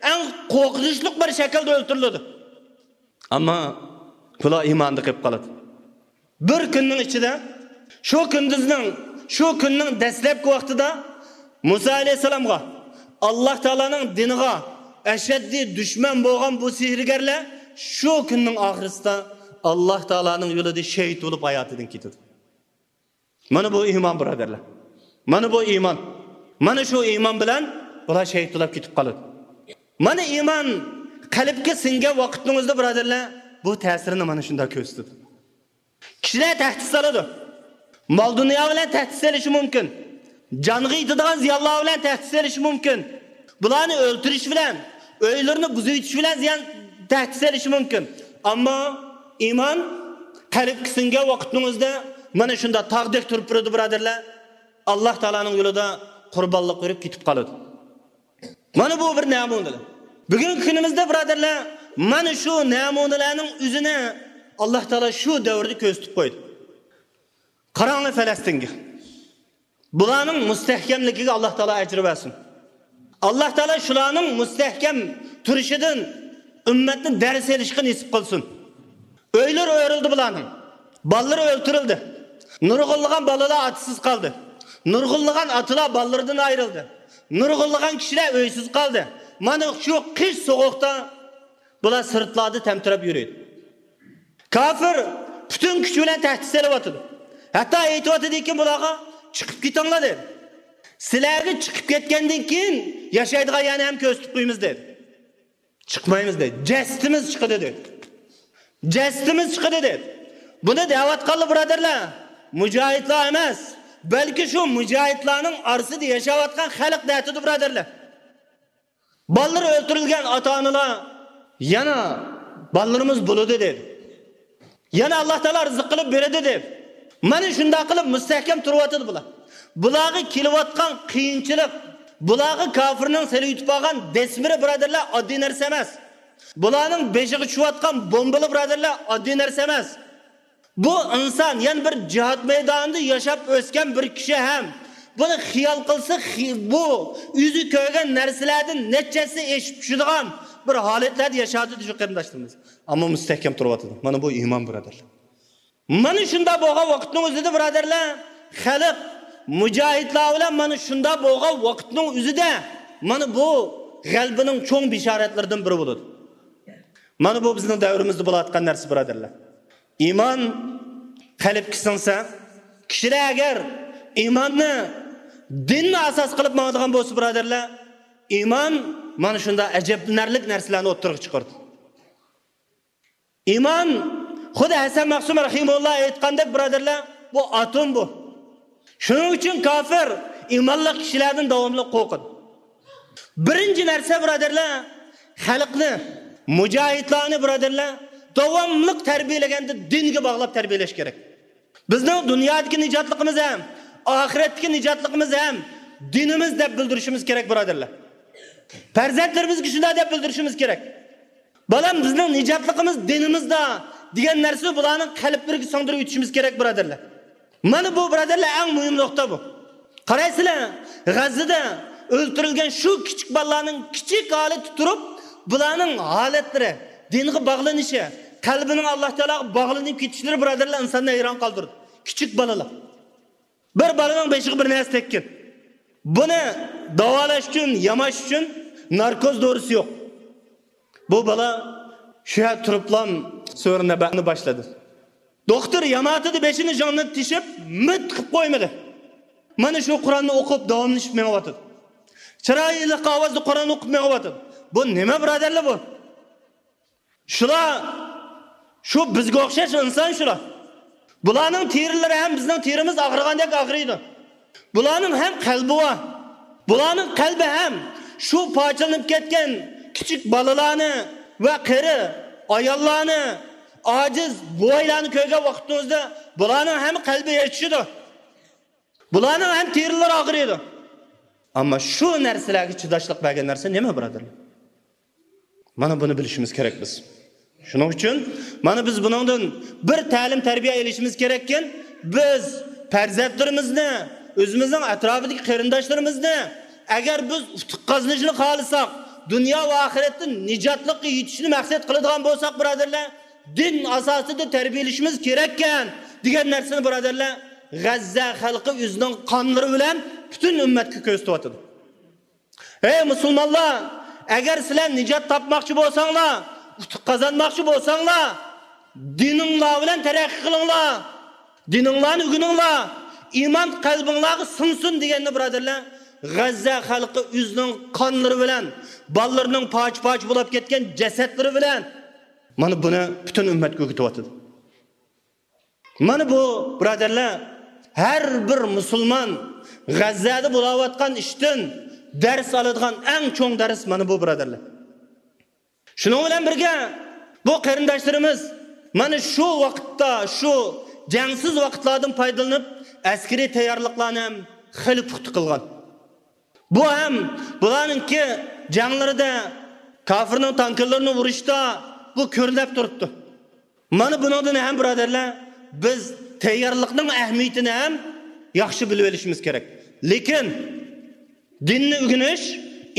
ئەڭ قورقۇنچلۇق بىر شەكىلدە ئۆلتۈرۈلىدۇ. ئەمما بۇلار ئىماندا قېلىپ قالىدۇ. بىر كۈننىڭ ئىچىدە، شۇ كۈندۈزنىڭ، شۇ كۈننىڭ دەسلەپكى ۋاقتىدا مۇسا ئەلەيھىسسالامغا، ئاللاھ تائالانىڭ دىنىغا ئەشەددىي دۈشمەن بولغان بۇ سېھىرگەرلەر شۇ كۈننىڭ ئاخىرىسىدا ئاللاھ تائالانىڭ يولىدا شېھىت بولۇپ ھاياتىدىن كېتىدۇ. مانا بۇ ئىمان، بۇرادەرلەر. مانا بۇ ئىمان. مانا شۇ ئىمان بىلەن بۇلار شېھىت بولاپ كېتىپ قالىدۇ. مانا ئىمان قەلبكە سىڭگەن ۋاقىتنىڭ ئۆزىدە، بۇرادەرلەر، بۇ تەسىرىنى مانا شۇنداق كۆرسىتىدۇ. كىشىلەر تەھدىت سالىدۇ. مال-دۇنيا بىلەن تەھدىت سېلىشى مۇمكىن. جانغا يېتىدىغان زىيانلار بىلەن تەھدىت سېلىشى مۇمكىن. بۇلارنى ئۆلتۈرۈش بىلەن، ئۆيلىرىنى بۇزۇۋېتىش بىلەن زىيان، تەھدىت سېلىشى مۇمكىن. ئەمما ئىمان قەلبكە سىڭگەن ۋاقىتنىڭ ئۆزىدە مانا شۇنداق تاغدەك تۇرۇپ تۇرىدۇ، بۇرادەرلەر. ئاللاھ تائالانىڭ يولىدا قۇربانلىق بېرىپ كېتىپ قالىدۇ. مانا بۇ بىر نەمۇنە. بۈگۈنكى كۈنىمىزدە، بۇرادەرلەر، مانا شۇ نەمۇنىلەرنىڭ ئۆزىنى ئاللاھ تائالا شۇ دەۋردە كۆرسىتىپ قويدى. قاراڭلار پەلەستىنگە. بۇلارنىڭ مۇستەھكەملىكىگە ئاللاھ تائالا ئەجىر بەرسۇن. ئاللاھ تائالا شۇلارنىڭ مۇستەھكەم تۇرۇشىدىن ئۈممەتنى دەرس ئېلىشقا نېسىپ قىلسۇن. ئۆيلىرى ئۆرۈلدى بۇلارنىڭ. بالىلىرى ئۆلتۈرۈلدى. نۇرغۇنلىغان بالىلار ئاتىسىز قالدى. نۇرغۇنلىغان ئاتىلار بالىلىرىدىن ئايرىلدى. نۇرغۇنلىغان كىشىلەر ئۆيسىز قالدى. مانا شۇ قىش سوغۇقتا بۇلار سىرتلاردا تەمتىرەپ يۈرىدۇ. كاپىر پۈتۈن كۈچى بىلەن تەھدىت سېلىۋاتىدۇ. ھەتتا ئېيتىۋاتىدىكى بۇلارغا، «چىقىپ كېتىڭلار» دېدى. «سىلەرگە چىقىپ كەتكەندىن كېيىن ياشايدىغان يەرنى ھەم كۆرسىتىپ قويىمىز» دېدى. «چىقمايمىز» دېدى. «جەسىتىمىز چىقىدۇ» دېدى. «جەسىتىمىز چىقىدۇ» دېدى. بۇنى دەۋاتقانلار، بۇرادەرلەر، مۇجاھىدلار ئەمەس، بەلكى شۇ مۇجاھىدلارنىڭ ئارىسىدا ياشاۋاتقان خەلق دەتىدۇ، بۇرادەرلەر. بالىلىرى ئۆلتۈرۈلگەن ئاتا-ئانىلار يەنە بالىلىرىمىز بولىدۇ دېدى. يەنە ئاللاھ تائالا رىزىق قىلىپ بېرىدۇ دەپ، مانا شۇنداق قىلىپ مۇستەھكەم تۇرۇۋاتىدۇ بۇلار. بۇلارغا كېلىۋاتقان قىيىنچىلىق، بۇلارغا كاپىرنىڭ سېلىۋېتىپ قالغان دەسمىرى، بۇرادەرلەر، ئاددىي نەرسە ئەمەس. بۇلارنىڭ بېشىغا چۈشۈۋاتقان بومبىلار، بۇرادەرلەر، ئاددىي نەرسە ئەمەس. بۇ ئىنسان، يەنى بىر جىھاد مەيدانىدا ياشاپ ئۆسكەن بىر كىشى ھەم بۇنى خىيال قىلسا، خى-، بۇ ئۆزى كۆرگەن نەرسىلەردىن نەچچە ھەسسە ئېشىپ چۈشىدىغان بىر ھالەتلەردە ياشاۋاتىدۇ شۇ قېرىنداشلىرىمىز. ئەمما مۇستەھكەم تۇرۇۋاتىدۇ. مانا بۇ ئىمان، بۇرادەرلەر. مانا شۇنداق بولغان ۋاقىتنىڭ ئۆزىدە، بۇرادەرلەر، خەلق مۇجاھىدلار بىلەن مانا شۇنداق بولغان ۋاقىتنىڭ ئۆزىدە مانا بۇ غەلىبىنىڭ چوڭ بېشارەتلىرىدىن بىرى بولىدۇ. مانا بۇ بىزنىڭ دەۋرىمىزدە بولۇۋاتقان نەرسە، بۇرادەرلەر. ئىمان قەلبكە سىڭسە، كىشىلەر ئەگەر ئىماننى، دىننى ئاساس قىلىپ ماڭىدىغان بولسا، بۇرادەرلەر، ئىمان مانا شۇنداق ئەجەبلىنەرلىك نەرسىلەرنى ئوتتۇرىغا چىقىرىدۇ. ئىمان، خۇددى ھەسەن مەخسۇم رەھىمۇللا ئېيتقاندەك، بۇرادەرلەر، بۇ ئاتوم بۇ. شۇنىڭ ئۈچۈن كاپىر ئىمانلىق كىشىلەردىن داۋاملىق قورقىدۇ. بىرىنچى نەرسە، بۇرادەرلەر، خەلقنى، مۇجاھىدلارنى، بۇرادەرلەر، داۋاملىق تەربىيەلىگەندە دىنگە باغلاپ تەربىيەلەش كېرەك. بىزنىڭ دۇنيادىكى نىجاتلىقىمىز ھەم ئاخىرەتتىكى نىجاتلىقىمىز ھەم دىنىمىز دەپ بىلدۈرۈشىمىز كېرەك، بۇرادەرلەر. پەرزەنتلىرىمىزگە شۇنداق دەپ بىلدۈرۈشىمىز كېرەك. بالام، بىزنىڭ نىجاتلىقىمىز دىنىمىزدا دېگەن نەرسىنى بۇلارنىڭ قەلبلىرىگە سىڭدۈرۈپ ئۆتۈشىمىز كېرەك، بۇرادەرلەر. مانا بۇ، بۇرادەرلەر، ئەڭ مۇھىم نۇقتا بۇ. قارايسىلەر، غەززىدە ئۆلتۈرۈلگەن شۇ كىچىك بالىلارنىڭ كىچىك ھالىتى تۇرۇپ، بۇلارنىڭ ھالەتلىرى، دىنغا باغلىنىشى، قەلبىنىڭ ئاللاھ تائالاغا باغلىنىپ كېتىشلىرى، بۇرادەرلەر، ئىنساننى ھەيران قالدۇرىدۇ. كىچىك بالىلار. بىر بالىنىڭ بېشىغا بىر نەرسە تەگكەن. بۇنى داۋالاش ئۈچۈن، ياماش ئۈچۈن ناركوز دورىسى يوق. بۇ بالا شۇ يەردە تۇرۇپلا سۈرە نەبەنى باشلىدى. دوختۇر ياماتىدا بېشىنى، جانىنى تېشىپ، مىت قىلىپ قويمىدى. مانا شۇ قۇرئاننى ئوقۇپ، داۋاملىشىپ مېڭىۋاتىدۇ. چىرايلىق ئاۋازدا قۇرئان ئوقۇپ مېڭىۋاتىدۇ. بۇ نېمە، بۇرادەرلەر، بۇ؟ شۇلار، شۇ بىزگە ئوخشاش ئىنسان شۇلار. بۇلارنىڭ تېرىلىرى ھەم بىزنىڭ تېرىمىز ئاغرىغاندەك ئاغرىيدۇ. بۇلارنىڭ ھەم قەلبى بار. بۇلارنىڭ قەلبى ھەم شۇ پارچىلىنىپ كەتكەن كىچىك بالىلارنى ۋە قېرى ئاياللارنى، ئاجىز بوۋايلارنى كۆرگەن ۋاقتىڭىزدا بۇلارنىڭ ھەم قەلبى ئېچىشىدۇ. بۇلارنىڭ ھەم تېرىلىرى ئاغرىيدۇ. ئەمما شۇ نەرسىلەرگە چىداشلىق بەرگەن نەرسە نېمە، بۇرادەرلەر؟ مانا بۇنى بىلىشىمىز كېرەك بىز. شۇنىڭ ئۈچۈن مانا بىز بۇنىڭدىن بىر تەلىم، تەربىيە ئېلىشىمىز كېرەككەن، بىز پەرزەنتلىرىمىزنى، ئۆزىمىزنىڭ ئەتراپىدىكى قېرىنداشلىرىمىزنى، ئەگەر بىز ئۇتۇق قازىنىشنى خالىساق، دۇنيا ۋە ئاخىرەتتە نىجاتلىققا يېتىشنى مەقسەت قىلىدىغان بولساق، بۇرادەرلەر، دىن ئاساسىدا تەربىيەلىشىمىز كېرەككەن دېگەن نەرسىنى، بۇرادەرلەر، غەززە خەلقى ئۆزىنىڭ قانلىرى بىلەن پۈتۈن ئۈممەتكە كۆرسىتىۋاتىدۇ. ئەي مۇسۇلمانلار، ئەگەر سىلەر نىجات تاپماقچى بولساڭلار، ئۇتۇق قازانماقچى بولساڭلار، دىنىڭلار بىلەن تەرەققىي قىلىڭلار. دىنىڭلارنى ئۆگىنىڭلار. ئىمان قەلبىڭلارغا سىڭسۇن دېگەننى، بۇرادەرلەر، غەززە خەلقى ئۆزىنىڭ قانلىرى بىلەن، بالىلىرىنىڭ پارچە-پارچە بولۇپ كەتكەن جەسەتلىرى بىلەن مانا بۇنى پۈتۈن ئۈممەتكە ئۆگىتىۋاتىدۇ. مانا بۇ، بۇرادەرلەر، ھەر بىر مۇسۇلمان غەززەدە بولاۋاتقان ئىشتىن دەرس ئالىدىغان ئەڭ چوڭ دەرس مانا بۇ، بۇرادەرلەر. شۇنىڭ بىلەن بىرگە، بۇ قېرىنداشلىرىمىز مانا شۇ ۋاقىتتا، شۇ جەڭسىز ۋاقىتلاردىن پايدىلىنىپ، ئەسكىرىي تەييارلىقلارنى ھەم خېلى پۇختا قىلغان. بۇ ھەم بۇلارنىڭكى جەڭلىرىدە، كاپىرنىڭ تانكىلىرىنى ئۇرۇشتا بۇ كۆرۈنۈپ تۇرۇپتۇ. مانا بۇنىڭدىن ھەم، بۇرادەرلەر، بىز تەييارلىقنىڭ ئەھمىيىتىنى ھەم ياخشى بىلىپ ئېلىشىمىز كېرەك. لېكىن دىننى ئۆگىنىش،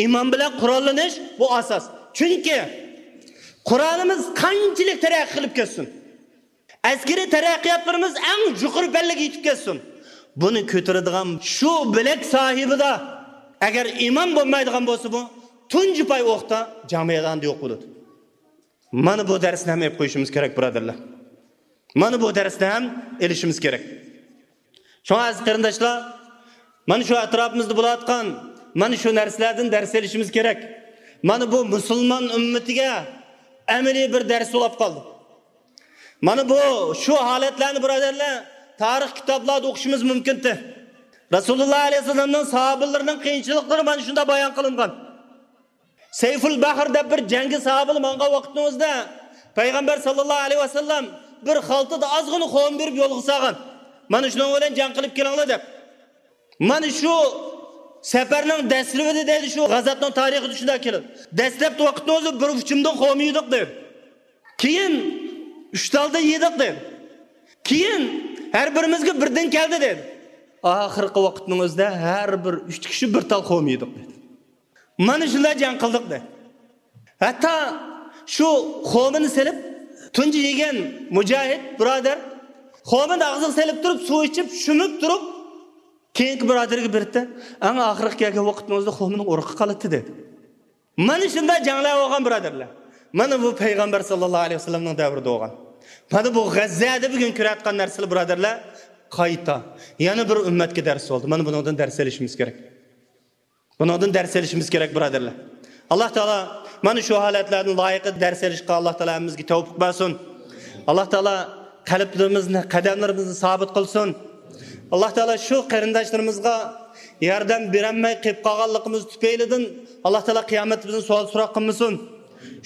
ئىمان بىلەن قوراللىنىش، بۇ ئاساس. چۈنكى قورالىمىز قانچىلىك تەرەققىي قىلىپ كەتسۇن، ئەسكىرىي تەرەققىياتلىرىمىز ئەڭ يۇقىرى پەللىگە يېتىپ كەتسۇن، بۇنى كۆتۈرىدىغان شۇ بىلەك ساھىبىدا ئەگەر ئىمان بولمايدىغان بولسا، بۇ تۇنجى پاي ئوقتا جەڭ مەيدانىدا يوق بولىدۇ. مانا بۇ دەرسنى ھەم ئېلىپ قويۇشىمىز كېرەك، بۇرادەرلەر. مانا بۇ دەرسنى ھەم ئېلىشىمىز كېرەك. شۇڭا ئەزىز قېرىنداشلار، مانا شۇ ئەتراپىمىزدا بولۇۋاتقان مانا شۇ نەرسىلەردىن دەرس ئېلىشىمىز كېرەك. مانا بۇ مۇسۇلمان ئۈممىتىگە ئەمەلىي بىر دەرس بولۇپ قالدى. مانا بۇ، شۇ ھالەتلەرنى، بۇرادەرلەر، تارىخ كىتابلاردا ئوقۇشىمىز مۇمكىنتى. رەسۇلۇللا ئەلەيھىسسالامنىڭ ساھابىلىرىنىڭ قىيىنچىلىقلىرى مانا شۇنداق بايان قىلىنغان. سەيفۇل بەھر دەپ بىر جەڭگە ساھابىلار ماڭغان ۋاقتىڭىزدا، پەيغەمبەر ساللاللاھۇ ئەلەيھى ۋەسەللەم بىر خالتىدا ئازغىنا خورما بېرىپ يولغا سالغان. مانا شۇنىڭ بىلەن جەڭ قىلىپ كېلىڭلار دەپ. مانا شۇ سەپەرنىڭ دەسلىپىدە دەيدۇ، شۇ غازاتنىڭ تارىخىدا شۇنداق كېلىدۇ. دەسلەپتە ۋاقىتنىڭ ئۆزىدە بىر ئۇچۇمدىن خورما يېدۇق دەيدۇ. كېيىن ئۈچ تالدىن يېدۇق دەيدۇ. كېيىن ھەر بىرىمىزگە بىردىن كەلدى دەيدۇ. ئاخىرقى ۋاقىتنىڭ ئۆزىدە ھەر بىر ئۈچ كىشى بىر تال خورما يېدۇق دەيدۇ. مانا شۇنداق جەڭ قىلدۇق دەيدۇ. ھەتتا شۇ خورمىنى سېلىپ، تۇنجى يېگەن مۇجاھىد بۇرادەر خورمىنى ئاغزىغا سېلىپ تۇرۇپ، سۇ ئىچىپ، شۈمۈپ تۇرۇپ، كېيىنكى بۇرادەرگە بېرىپتۇ. ئەڭ ئاخىرقى كەلگەن ۋاقىتنىڭ ئۆزىدە خورمىنىڭ ئۇرۇقى قالىپتۇ دەيدۇ. مانا شۇنداق جەڭلەر بولغان، بۇرادەرلەر. مانا بۇ پەيغەمبەر ساللاللاھۇ ئەلەيھى ۋەسەللەمنىڭ دەۋرىدە بولغان. مانا بۇ غەززەدە بۈگۈن كۆرۈۋاتقان نەرسىلەر، بۇرادەرلەر، قايتا يەنە بىر ئۈممەتكە دەرس بولدى. مانا بۇنىڭدىن دەرس ئېلىشىمىز كېرەك. بۇنىڭدىن دەرس ئېلىشىمىز كېرەك، بۇرادەرلەر. ئاللا تائالا مانا شۇ ھالەتلەردىن لايىقىدا دەرس ئېلىشقا ئاللا تائالا ھەممىمىزگە تەۋپىق بەرسۇن. ئاللا تائالا قەلبلىرىمىزنى، قەدەملىرىمىزنى سابىت قىلسۇن. ئاللا تائالا شۇ قېرىنداشلىرىمىزغا ياردەم بېرەلمەي قېلىپ قالغانلىقىمىز تۈپەيلىدىن ئاللا تائالا قىيامەتتە بىزنى سوئال سوراق قىلمىسۇن.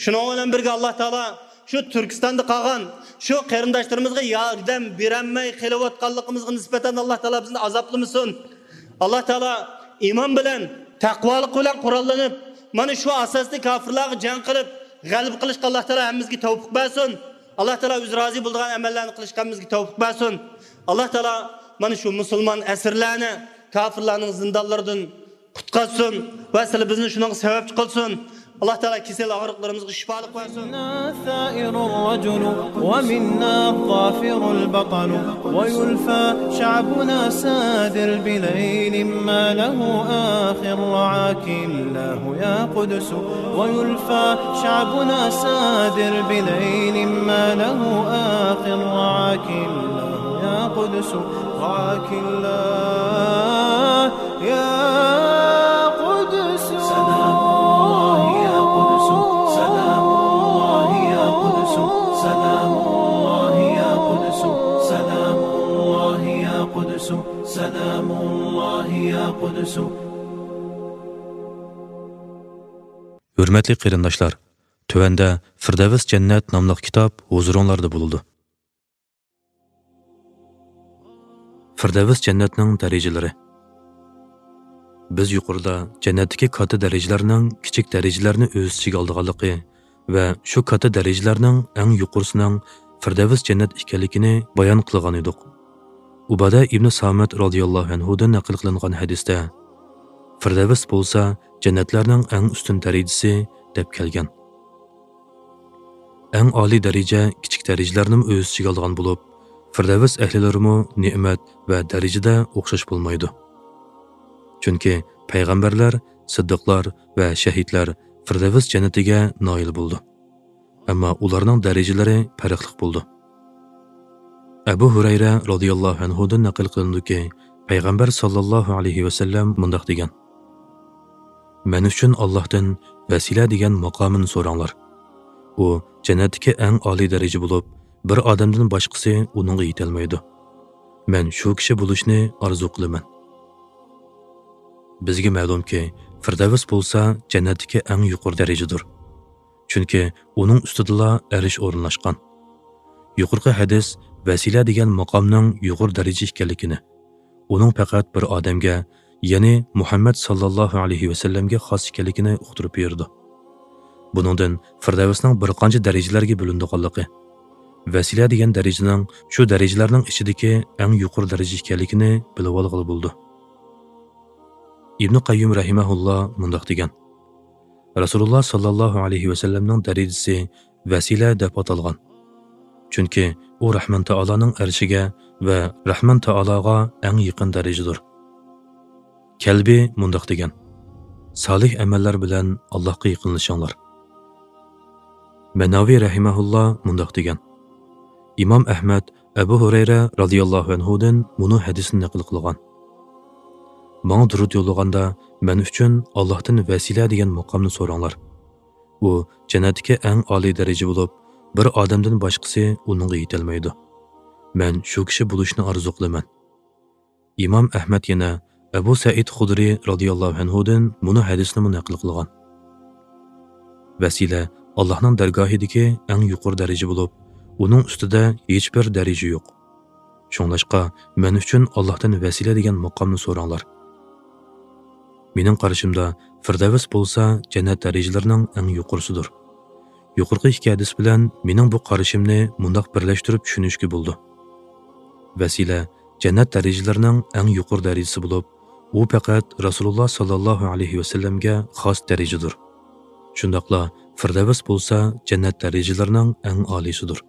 شۇنىڭ بىلەن بىرگە، ئاللا تائالا شۇ تۈركىستاندا قالغان شۇ قېرىنداشلىرىمىزغا ياردەم بېرەلمەي قېلىۋاتقانلىقىمىزغا نىسبەتەن ئاللا تائالا بىزنى ئازابلىمىسۇن. ئاللا تائالا ئىمان بىلەن، تەقۋالىق بىلەن قوراللىنىپ، مانا شۇ ئاساستا كاپىرلارغا جەڭ قىلىپ، غەلىبە قىلىشقا ئاللا تائالا ھەممىمىزگە تەۋپىق بەرسۇن. ئاللا تائالا ئۆزى رازى بولىدىغان ئەمەللەرنى قىلىشقا ھەممىمىزگە تەۋپىق بەرسۇن. ئاللا تائالا مانا شۇ مۇسۇلمان ئەسىرلەرنى كاپىرلارنىڭ زىندانلىرىدىن قۇتقازسۇن ۋە سىلى بىزنى شۇنىڭغا سەۋەبچى قىلسۇن. ئاللا تائالا كېسەل ئاغرىقلىرىمىزغا شىپالىق بەرسۇن. منا الثائر الرجل ومنا الظافر البطل، ويلفى شعبنا سادر بليل ما له آخر، رعاك الله يا قدس. ويلفى شعبنا سادر بليل ما له آخر، رعاك الله يا قدس، رعاك الله يا قدس. سلام الله يا قدس، سلام الله يا قدس، سلام الله يا قدس، سلام الله يا قدس، سلام الله يا قدس. ھۆرمەتلىك قېرىنداشلار، تۆۋەندە فىردەۋس جەننەت ناملىق كىتاب ھۇزۇرۇڭلاردا بولىدۇ. فىردەۋس جەننەتنىڭ دەرىجىلىرى. بىز يۇقىرىدا جەننەتتىكى كاتتا دەرىجىلەرنىڭ كىچىك دەرىجىلەرنى ئۆز ئىچىگە ئالىدىغانلىقى ۋە شۇ كاتتا دەرىجىلەرنىڭ ئەڭ يۇقىرىسىنىڭ فىردەۋس جەننەت ئىكەنلىكىنى بايان قىلغان ئىدۇق. ئۇبادە ئىبنى سامىت رازىياللاھۇ ئەنھۇدىن نەقىل قىلىنغان ھەدىستە، فىردەۋس بولسا جەننەتلەرنىڭ ئەڭ ئۈستۈن دەرىجىسى، دەپ كەلگەن. ئەڭ ئالىي دەرىجە كىچىك دەرىجىلەرنىمۇ ئۆز ئىچىگە ئالىدىغان بولۇپ، فىردەۋس ئەھلىلىرىمۇ نېمەت ۋە دەرىجىدە ئوخشاش بولمايدۇ. چۈنكى پەيغەمبەرلەر، سىددىقلار ۋە شەھىدلەر فىردەۋس جەننىتىگە نائىل بولىدۇ. ئەمما ئۇلارنىڭ دەرىجىلىرى پەرقلىق بولىدۇ. ئەبۇ ھۇرەيرە رازىياللاھۇ ئەنھۇدىن نەقىل قىلىنىدۇكى، پەيغەمبەر ساللاللاھۇ ئەلەيھى ۋەسەللەم مۇنداق دېگەن: مەن ئۈچۈن ئاللاھتىن ۋەسىلە دېگەن ماقامىنى سوراڭلار. ئۇ جەننەتتىكى ئەڭ ئالىي دەرىجە بولۇپ، بىر ئادەمدىن باشقىسى ئۇنىڭغا يېتەلمەيدۇ. مەن شۇ كىشى بولۇشنى ئارزۇ قىلىمەن. بىزگە مەلۇمكى، فىردەۋس بولسا جەننەتتىكى ئەڭ يۇقىرى دەرىجىدۇر. چۈنكى ئۇنىڭ ئۈستىدىلا ئەرش ئورۇنلاشقان. يۇقىرىقى ھەدىس ۋەسىلە دېگەن ماقامنىڭ يۇقىرى دەرىجە ئىكەنلىكىنى، ئۇنىڭ پەقەت بىر ئادەمگە، يەنى مۇھەممەد ساللاللاھۇ ئەلەيھى ۋەسەللەمگە خاس ئىكەنلىكىنى ئۇقتۇرۇپ بېرىدۇ. بۇنىڭدىن فىردەۋسنىڭ بىر قانچە دەرىجىلەرگە بۆلۈنىدىغانلىقى، ۋەسىلە دېگەن دەرىجىنىڭ شۇ دەرىجىلەرنىڭ ئىچىدىكى ئەڭ يۇقىرى دەرىجە ئىكەنلىكىنى بىلىۋالغىلى بولىدۇ. ئىبنى قەييۇم رەھىمەھۇللا مۇنداق دېگەن: رەسۇلۇللا ساللاللاھۇ ئەلەيھى ۋەسەللەمنىڭ دەرىجىسى ۋەسىلە دەپ ئاتالغان. چۈنكى ئۇ رەھمان تائالانىڭ ئەرشىگە ۋە رەھمان تائالاغا ئەڭ يېقىن دەرىجىدۇر. كەلبى مۇنداق دېگەن: سالىھ ئەمەللەر بىلەن ئاللاھقا يېقىنلىشىڭلار. مەناۋى رەھىمەھۇللا مۇنداق دېگەن: ئىمام ئەھمەد ئەبۇ ھۇرەيرە رازىياللاھۇ ئەنھۇدىن مۇنۇ ھەدىسنى نەقىل قىلغان: ماڭا دۇرۇت يوللىغاندا، مەن ئۈچۈن ئاللاھتىن ۋەسىلە دېگەن ماقامنى سوراڭلار. ئۇ جەننەتتىكى ئەڭ ئالىي دەرىجە بولۇپ، بىر ئادەمدىن باشقىسى ئۇنىڭغا يېتەلمەيدۇ. مەن شۇ كىشى بولۇشنى ئارزۇ قىلىمەن. ئىمام ئەھمەد يەنە ئەبۇ سەئىد خۇدرى رازىياللاھۇ ئەنھۇدىن مۇنۇ ھەدىسنىمۇ نەقىل قىلغان: ۋەسىلە ئاللاھنىڭ دەرگاھىدىكى ئەڭ يۇقىرى دەرىجە بولۇپ، ئۇنىڭ ئۈستىدە ھېچبىر دەرىجە يوق. شۇڭلاشقا، مەن ئۈچۈن ئاللاھتىن ۋەسىلە دېگەن ماقامنى سوراڭلار. مېنىڭ قارىشىمدا، فىردەۋس بولسا جەننەت دەرىجىلىرىنىڭ ئەڭ يۇقىرىسىدۇر. يۇقىرىقى ئىككى ھەدىس بىلەن مېنىڭ بۇ قارىشىمنى مۇنداق بىرلەشتۈرۈپ چۈشىنىشكە بولىدۇ. ۋەسىلە جەننەت دەرىجىلىرىنىڭ ئەڭ يۇقىرى دەرىجىسى بولۇپ، ئۇ پەقەت رەسۇلۇللا ساللاللاھۇ ئەلەيھى ۋەسەللەمگە خاس دەرىجىدۇر. شۇنداقلا فىردەۋس بولسا جەننەت دەرىجىلىرىنىڭ ئەڭ ئالىيسىدۇر.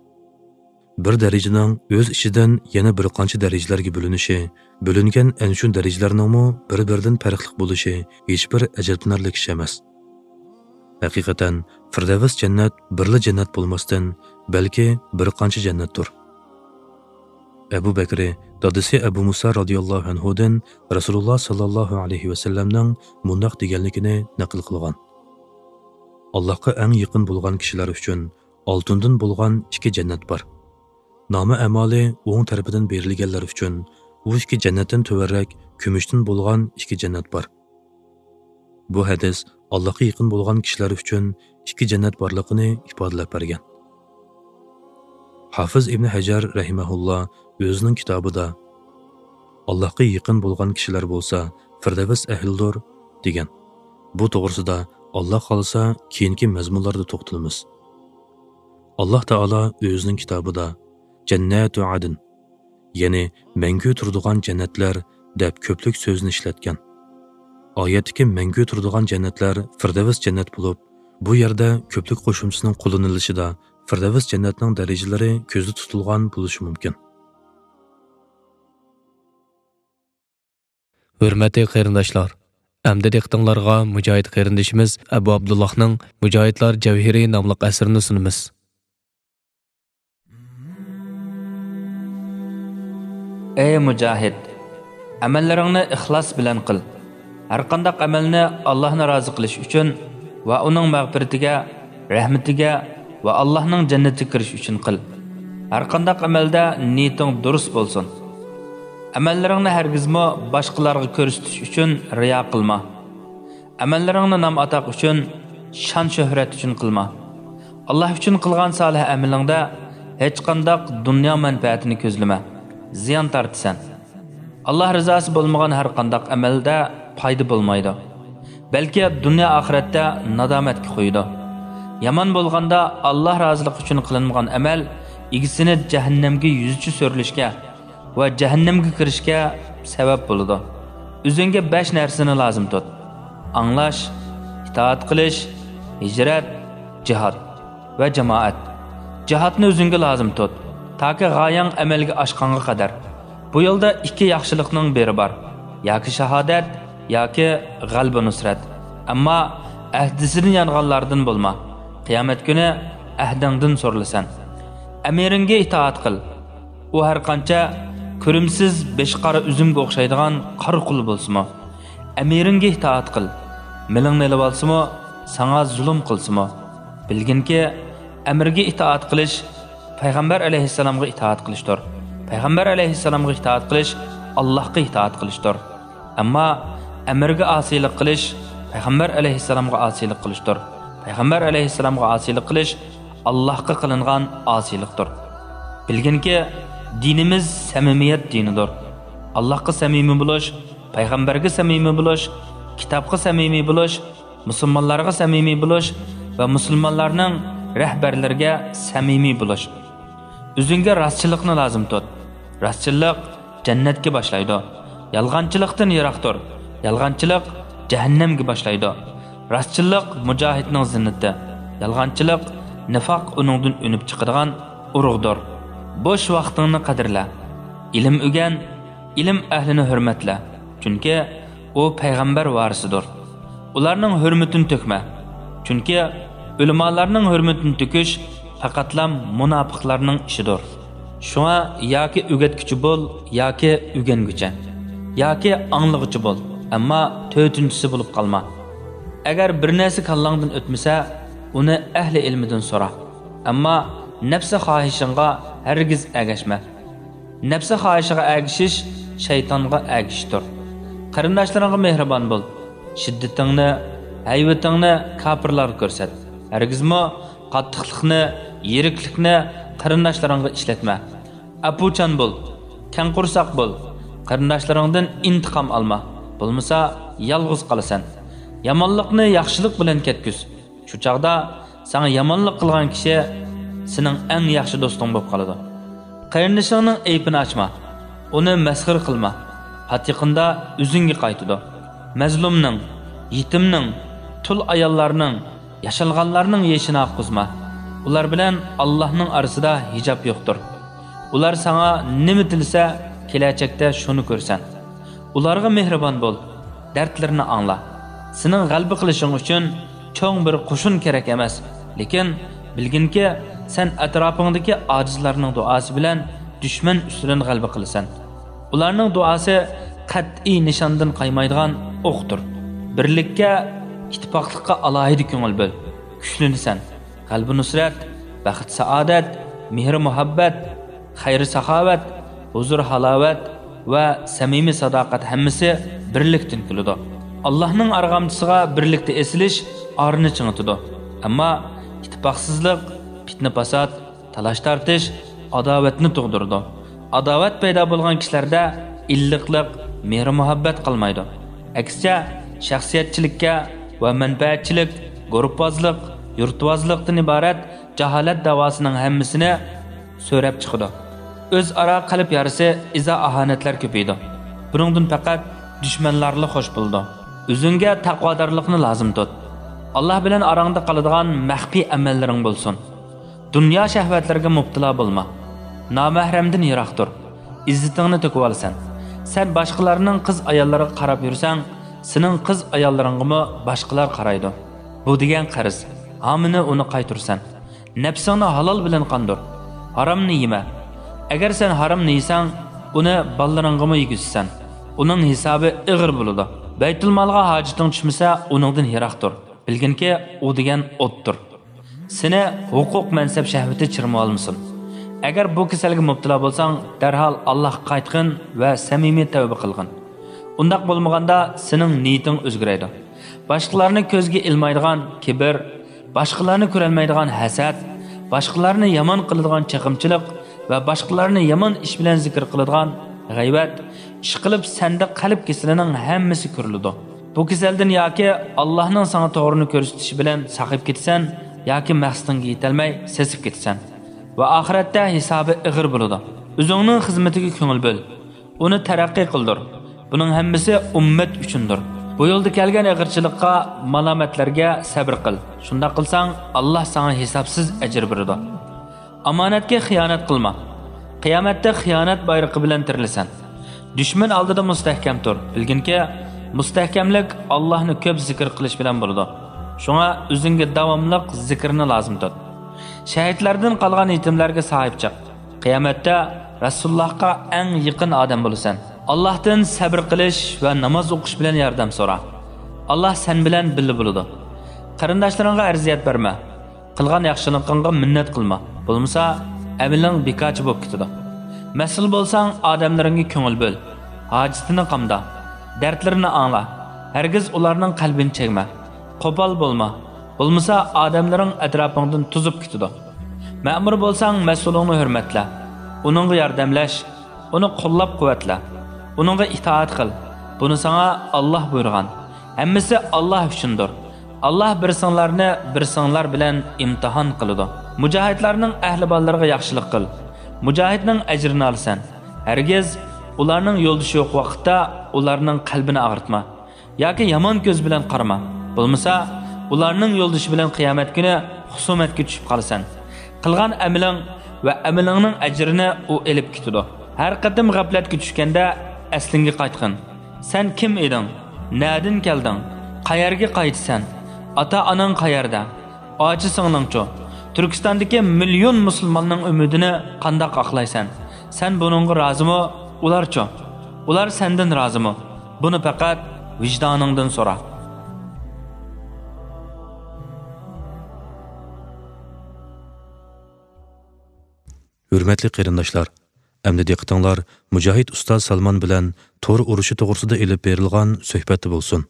بىر دەرىجىنىڭ ئۆز ئىچىدىن يەنە بىر قانچە دەرىجىلەرگە بۆلۈنۈشى، بۆلۈنگەن ئەنە شۇ دەرىجىلەرنىڭمۇ بىر-بىرىدىن پەرقلىق بولۇشى ھېچبىر ئەجەبلىنەرلىك ئىش ئەمەس. ھەقىقەتەن، فىردەۋس جەننەت بىرلا جەننەت بولماستىن، بەلكى بىر قانچە جەننەتتۇر. ئەبۇ بەكرى دادىسى ئەبۇ مۇسا رازىياللاھۇ ئەنھۇدىن رەسۇلۇللا ساللاللاھۇ ئەلەيھى ۋەسەللەمنىڭ مۇنداق دېگەنلىكىنى نەقىل قىلغان: ئاللاھقا ئەڭ يېقىن بولغان كىشىلەر ئۈچۈن ئالتۇندىن بولغان ئىككى جەننەت بار. نامە-ئەمالى ئوڭ تەرىپىدىن بېرىلگەنلەر ئۈچۈن ئۇ ئىككى جەننەتتىن تۆۋەنرەك كۈمۈشتىن بولغان ئىككى جەننەت بار. بۇ ھەدىس ئاللاھقا يېقىن بولغان كىشىلەر ئۈچۈن ئىككى جەننەت بارلىقىنى ئىپادىلەپ بەرگەن. ھافىز ئىبنى ھەجەر رەھىمەھۇللا ئۆزىنىڭ كىتابىدا، ئاللاھقا يېقىن بولغان كىشىلەر بولسا فىردەۋس ئەھلىدۇر، دېگەن. بۇ توغرىسىدا ئاللا خالىسا كېيىنكى مەزمۇنلاردا توختىلىمىز. ئاللا تائالا ئۆزىنىڭ كىتابىدا، جەننەتۇ ئەدن، يەنى مەڭگۈ تۇرىدىغان جەننەتلەر دەپ كۆپلۈك سۆزنى ئىشلەتكەن. ئايەتتىكى مەڭگۈ تۇرىدىغان جەننەتلەر فىردەۋس جەننەت بولۇپ، بۇ يەردە كۆپلۈك قوشۇمچىسىنىڭ قوللىنىلىشىدا فىردەۋس جەننەتنىڭ دەرىجىلىرى كۆزدە تۇتۇلغان بولۇشى مۇمكىن. ھۆرمەتلىك قېرىنداشلار، ئەمدى دىققىتىڭلارغا مۇجاھىد قېرىندىشىمىز ئەبۇ ئابدۇللاھنىڭ مۇجاھىدلار جەۋھىرى ناملىق ئەسىرىنى سۇنىمىز. ئەي مۇجاھىد! ئەمەللىرىڭنى ئىخلاس بىلەن قىل. ھەرقانداق ئەمەلنى ئاللاھنى رازى قىلىش ئۈچۈن ۋە ئۇنىڭ مەغپىرىتىگە، رەھمىتىگە ۋە ئاللاھنىڭ جەننىتىگە كىرىش ئۈچۈن قىل. ھەرقانداق ئەمەلدە نىيىتىڭ دۇرۇس بولسۇن. ئەمەللىرىڭنى ھەرگىزمۇ باشقىلارغا كۆرسىتىش ئۈچۈن رىيا قىلما. ئەمەللىرىڭنى نام-ئاتاق ئۈچۈن، شان-شۆھرەت ئۈچۈن قىلما. ئاللاھ ئۈچۈن قىلغان سالىھ ئەمىلىڭدە ھېچقانداق دۇنيا مەنپەئەتىنى كۆزلىمە. زىيان تارتىسەن. ئاللاھ رىزاسى بولمىغان ھەرقانداق ئەمەلدە پايدا بولمايدۇ. بەلكى دۇنيا ئاخىرەتتە نادامەتكە قويىدۇ. يامان بولغاندا، ئاللاھ رازىلىقى ئۈچۈن قىلىنمىغان ئەمەل ئىگىسىنى جەھەننەمگە يۈزىچە سۆرىلىشكە ۋە جەھەننەمگە كىرىشكە سەۋەب بولىدۇ. ئۆزۈڭگە بەش نەرسىنى لازىم تۇت: ئاڭلاش، ئىتائەت قىلىش، ھىجرەت، جىھاد ۋە جامائەت. جىھادنى ئۆزۈڭگە لازىم تۇت، تاكى غايەڭ ئەمەلگە ئاشقانغا قەدەر. بۇ يولدا ئىككى ياخشىلىقنىڭ بىرى بار، ياكى شاھادەت، ياكى غەلىبە نۇسرەت. ئەمما ئەھدىسىدىن يانغانلاردىن بولما. قىيامەت كۈنى ئەھدىڭدىن سورىلىسەن. ئەمىرىڭگە ئىتائەت قىل. ئۇ ھەرقانچە كۆرۈمسىز، بېشى قارا ئۈزۈمگە ئوخشايدىغان قارا قۇل بولسىمۇ، ئەمىرىڭگە ئىتائەت قىل. مېلىڭنى ئېلىۋالسىمۇ، ساڭا زۇلۇم قىلسىمۇ، بىلگىنكى، ئەمىرگە ئىتائەت قىلىش پەيغەمبەر ئەلەيھىسسالامغا ئىتائەت قىلىشتۇر. پەيغەمبەر ئەلەيھىسسالامغا ئىتائەت قىلىش ئاللاھقا ئىتائەت قىلىشتۇر. ئەمما ئەمىرگە ئاسىيلىق قىلىش پەيغەمبەر ئەلەيھىسسالامغا ئاسىيلىق قىلىشتۇر. پەيغەمبەر ئەلەيھىسسالامغا ئاسىيلىق قىلىش ئاللاھقا قىلىنغان ئاسىيلىقتۇر. بىلگىنكى، دىنىمىز سەمىمىيەت دىنىدۇر. ئاللاھقا سەمىمىي بولۇش، پەيغەمبەرگە سەمىمىي بولۇش، كىتابقا سەمىمىي بولۇش، مۇسۇلمانلارغا سەمىمىي بولۇش ۋە مۇسۇلمانلارنىڭ رەھبەرلىرىگە سەمىمىي بولۇش. ئۆزۈڭگە راستچىللىقنى لازىم تۇت. راستچىللىق جەننەتكە باشلايدۇ. يالغانچىلىقتىن يىراق تۇر. يالغانچىلىق جەھەننەمگە باشلايدۇ. راستچىللىق مۇجاھىدنىڭ زىننىتى. يالغانچىلىق، نىفاق ئۇنىڭدىن ئۈنۈپ چىقىدىغان ئۇرۇغدۇر. بوش ۋاقتىڭنى قەدىرلە. ئىلىم ئۆگەن، ئىلىم ئەھلىنى ھۆرمەتلە، چۈنكى ئۇ پەيغەمبەر ۋارىسىدۇر. ئۇلارنىڭ ھۆرمىتىنى تۆكمە، چۈنكى ئۆلىمالارنىڭ ھۆرمىتىنى تۆكۈش پەقەتلا مۇناپىقلارنىڭ ئىشىدۇر. شۇڭا ياكى ئۆگەتكۈچى بول، ياكى ئۆگەنگۈچى، ياكى ئاڭلىغۇچى بول، ئەمما تۆتىنچىسى بولۇپ قالما. ئەگەر بىر نەرسە كاللاڭدىن ئۆتمىسە، ئۇنى ئەھلى ئىلمىدىن سورا، ئەمما نەپسى خاھىشىڭغا ھەرگىز ئەگەشمە. نەپسى خاھىشىغا ئەگىشىش شەيتانغا ئەگىشىشتۇر. قېرىنداشلىرىڭغا مېھرىبان بول. شىددىتىڭنى، ھەيۋىتىڭنى كاپىرلارغا كۆرسەت. ھەرگىزمۇ قاتتىقلىقنى، يىرىكلىكنى قېرىنداشلىرىڭغا ئىشلەتمە. ئەپۇچان بول، كەڭ قورساق بول. قېرىنداشلىرىڭدىن ئىنتىقام ئالما، بولمىسا يالغۇز قالىسەن. يامانلىقنى ياخشىلىق بىلەن كەتكۈز. شۇ چاغدا ساڭا يامانلىق قىلغان كىشى سېنىڭ ئەڭ ياخشى دوستۇڭ بولۇپ قالىدۇ. قېرىندىشىڭنىڭ ئەيىبىنى ئاچما، ئۇنى مەسخىرە قىلما. پات يېقىندا ئۆزۈڭگە قايتىدۇ. مەزلۇمنىڭ، يېتىمنىڭ، تۇل ئاياللارنىڭ، ياشانغانلارنىڭ يېشىنى ئاققۇزما. ئۇلار بىلەن ئاللاھنىڭ ئارىسىدا ھىجاب يوقتۇر. ئۇلار ساڭا نېمە تىلىسە، كېلەچەكتە شۇنى كۆرىسەن. ئۇلارغا مېھرىبان بول، دەردلىرىنى ئاڭلا. سېنىڭ غەلىبە قىلىشىڭ ئۈچۈن چوڭ بىر قوشۇن كېرەك ئەمەس، لېكىن بىلگىنكى، سەن ئەتراپىڭدىكى ئاجىزلارنىڭ دۇئاسى بىلەن دۈشمەن ئۈستىدىن غەلىبە قىلىسەن. ئۇلارنىڭ دۇئاسى قەتئىي نىشاندىن قايمايدىغان ئوقتۇر. بىرلىككە، ئىتتىپاقلىققا ئالاھىدە كۆڭۈل بۆل، كۈچلىنىسەن. غەلىبە نۇسرەت، بەخت سائادەت، مېھرى مۇھەببەت، خەير ساخاۋەت، ھۇزۇر ھالاۋەت ۋە سەمىمىي ساداقەت ھەممىسى بىرلىكتىن كېلىدۇ. ئاللاھنىڭ ئارغامچىسىغا بىرلىكتە ئېسىلىش ئارىنى چىڭىتىدۇ. ئەمما ئىتتىپاقسىزلىق، پىتنە-پاسات، تالاش-تارتىش ئاداۋەتنى تۇغدۇرىدۇ. ئاداۋەت پەيدا بولغان كىشىلەردە ئىللىقلىق، مېھرى-مۇھەببەت قالمايدۇ. ئەكسىچە، شەخسىيەتچىلىككە ۋە مەنپەئەتچىلىك، گۇرۇپپازلىق، يۇرتۋازلىقتىن ئىبارەت جاھالەت داۋاسىنىڭ ھەممىسىنى سۆرەپ چىقىدۇ. ئۆزئارا قەلب يارىسى، ئىزا-ئاھانەتلەر كۆپىيىدۇ. بۇنىڭدىن پەقەت دۈشمەنلەرلا خوش بولىدۇ. ئۆزۈڭگە تەقۋادارلىقنى لازىم تۇت. ئاللاھ بىلەن ئاراڭدا قالىدىغان مەخپىي ئەمەللىرىڭ بولسۇن. دۇنيا شەھۋەتلىرىگە مۇپتىلا بولما. نامەھرەمدىن يىراق تۇر. ئىززىتىڭنى تۆكۈۋالىسەن. سەن باشقىلارنىڭ قىز ئاياللىرىغا قاراپ يۈرسەڭ، سېنىڭ قىز ئاياللىرىڭغىمۇ باشقىلار قارايدۇ. بۇ دېگەن قەرز. ھامىنى ئۇنى قايتۇرىسەن. نەپسىڭنى ھالال بىلەن قاندۇر. ھارامنى يېمە. ئەگەر سەن ھارامنى يېسەڭ، ئۇنى بالىلىرىڭغىمۇ يېگۈزىسەن. ئۇنىڭ ھېسابى ئېغىر بولىدۇ. بەيتۇلمالغا ھاجىتىڭ چۈشمىسە، ئۇنىڭدىن يىراق تۇر. بىلگىنكى، ئۇ دېگەن ئوتتۇر. سېنى ھوقۇق مەنسەپ شەھۋىتى چىرمىۋالمىسۇن. ئەگەر بۇ كېسەلگە مۇپتىلا بولساڭ، دەرھال ئاللاھقا قايتقىن ۋە سەمىمىي تەۋبە قىلغىن. ئۇنداق بولمىغاندا سېنىڭ نىيىتىڭ ئۆزگىرەيدۇ. باشقىلارنى كۆزگە ئىلمايدىغان كىبىر، باشقىلارنى كۆرەلمەيدىغان ھەسەت، باشقىلارنى يامان قىلىدىغان چېقىمچىلىق ۋە باشقىلارنى يامان ئىش بىلەن زىكىر قىلىدىغان غەيۋەت، ئىشقىلىپ سەندە قەلب كېسىلىنىڭ ھەممىسى كۆرۈلىدۇ. بۇ كېسەلدىن ياكى ئاللاھنىڭ ساڭا توغرىنى كۆرسىتىشى بىلەن ساقىيىپ كېتىسەن، ياكى مەقسىتىڭگە يېتەلمەي سېسىپ كېتىسەن. ۋە ئاخىرەتتە ھېسابى ئېغىر بولىدۇ. ئۆزۈڭنىڭ خىزمىتىگە كۆڭۈل بۆل. ئۇنى تەرەققىي قىلدۇر. بۇنىڭ ھەممىسى ئۈممەت ئۈچۈندۇر. بۇ يولدا كەلگەن ئېغىرچىلىققا، مالامەتلەرگە سەبرى قىل. شۇنداق قىلساڭ، ئاللاھ ساڭا ھېسابسىز ئەجىر بېرىدۇ. ئامانەتكە خىيانەت قىلما. قىيامەتتە خىيانەت بايرىقى بىلەن تىرىلىسەن. دۈشمەن ئالدىدا مۇستەھكەم تۇر. بىلگىنكى، مۇستەھكەملىك ئاللاھنى كۆپ زىكىر قىلىش بىلەن بولىدۇ. شۇڭا ئۆزۈڭگە داۋاملىق زىكىرنى لازىم تۇت. شەھىدلەردىن قالغان يېتىملەرگە ساھىب چىق. قىيامەتتە رەسۇلۇللاھقا ئەڭ يېقىن ئادەم بولىسەن. ئاللاھتىن سەبر قىلىش ۋە ناماز ئوقۇش بىلەن ياردەم سورا. ئاللاھ سەن بىلەن بىللە بولىدۇ. قېرىنداشلىرىڭغا ئەرزىيەت بەرمە. قىلغان ياخشىلىقىڭغا مىننەت قىلما. بولمىسا، ئەمىلىڭ بىكارچە بولۇپ كېتىدۇ. مەسئۇل بولساڭ، ئادەملىرىڭگە كۆڭۈل بۆل. ھاجىتىنى قامدا. دەردلىرىنى ئاڭلا. ھەرگىز ئۇلارنىڭ قەلبىنى چەگمە. قوپال بولما. بولمىسا، ئادەملىرىڭ ئەتراپىڭدىن توزۇپ كېتىدۇ. مەمۇر بولساڭ، مەسئۇلۇڭنى ھۆرمەتلە. ئۇنىڭغا ياردەملەش. ئۇنى قوللاپ-قۇۋۋەتلە. ئۇنىڭغا ئىتائەت قىل. بۇنى ساڭا ئاللاھ بۇيرۇغان. ھەممىسى ئاللاھ ئۈچۈندۇر. ئاللاھ بىرسىڭلارنى بىرسىڭلار بىلەن ئىمتىھان قىلىدۇ. مۇجاھىدلارنىڭ ئەھلى بالىلىرىغا ياخشىلىق قىل. مۇجاھىدنىڭ ئەجرىنى ئالىسەن. ھەرگىز ئۇلارنىڭ يولدىشى يوق ۋاقىتتا ئۇلارنىڭ قەلبىنى ئاغرىتما. ياكى يامان كۆز بىلەن قارىما. بولمىسا، ئۇلارنىڭ يولدىشى بىلەن قىيامەت كۈنى خۇسۇمەتكە چۈشۈپ قالىسەن. قىلغان ئەمىلىڭ ۋە ئەمىلىڭنىڭ ئەجرىنى ئۇ ئېلىپ كېتىدۇ. ھەر قېتىم غەپلەتكە چۈشكەندە ئەسلىڭگە قايتقىن. سەن كىم ئىدىڭ؟ نەدىن كەلدىڭ؟ قەيەرگە قايتىسەن؟ ئاتا-ئاناڭ قەيەردە؟ ئاچا-سىڭلىڭچۇ؟ تۈركىستاندىكى مىليون مۇسۇلماننىڭ ئۈمىدىنى قانداق ئاقلايسەن؟ سەن بۇنىڭغا رازىمۇ؟ ئۇلارچۇ؟ ئۇلار سەندىن رازىمۇ؟ بۇنى پەقەت ۋىجدانىڭدىن سورا. ھۆرمەتلىك قېرىنداشلار، ئەمدى دىققىتىڭلار مۇجاھىد ئۇستاز سالمان بىلەن تور ئۇرۇشى توغرىسىدا ئېلىپ بېرىلغان سۆھبەتتە بولسۇن.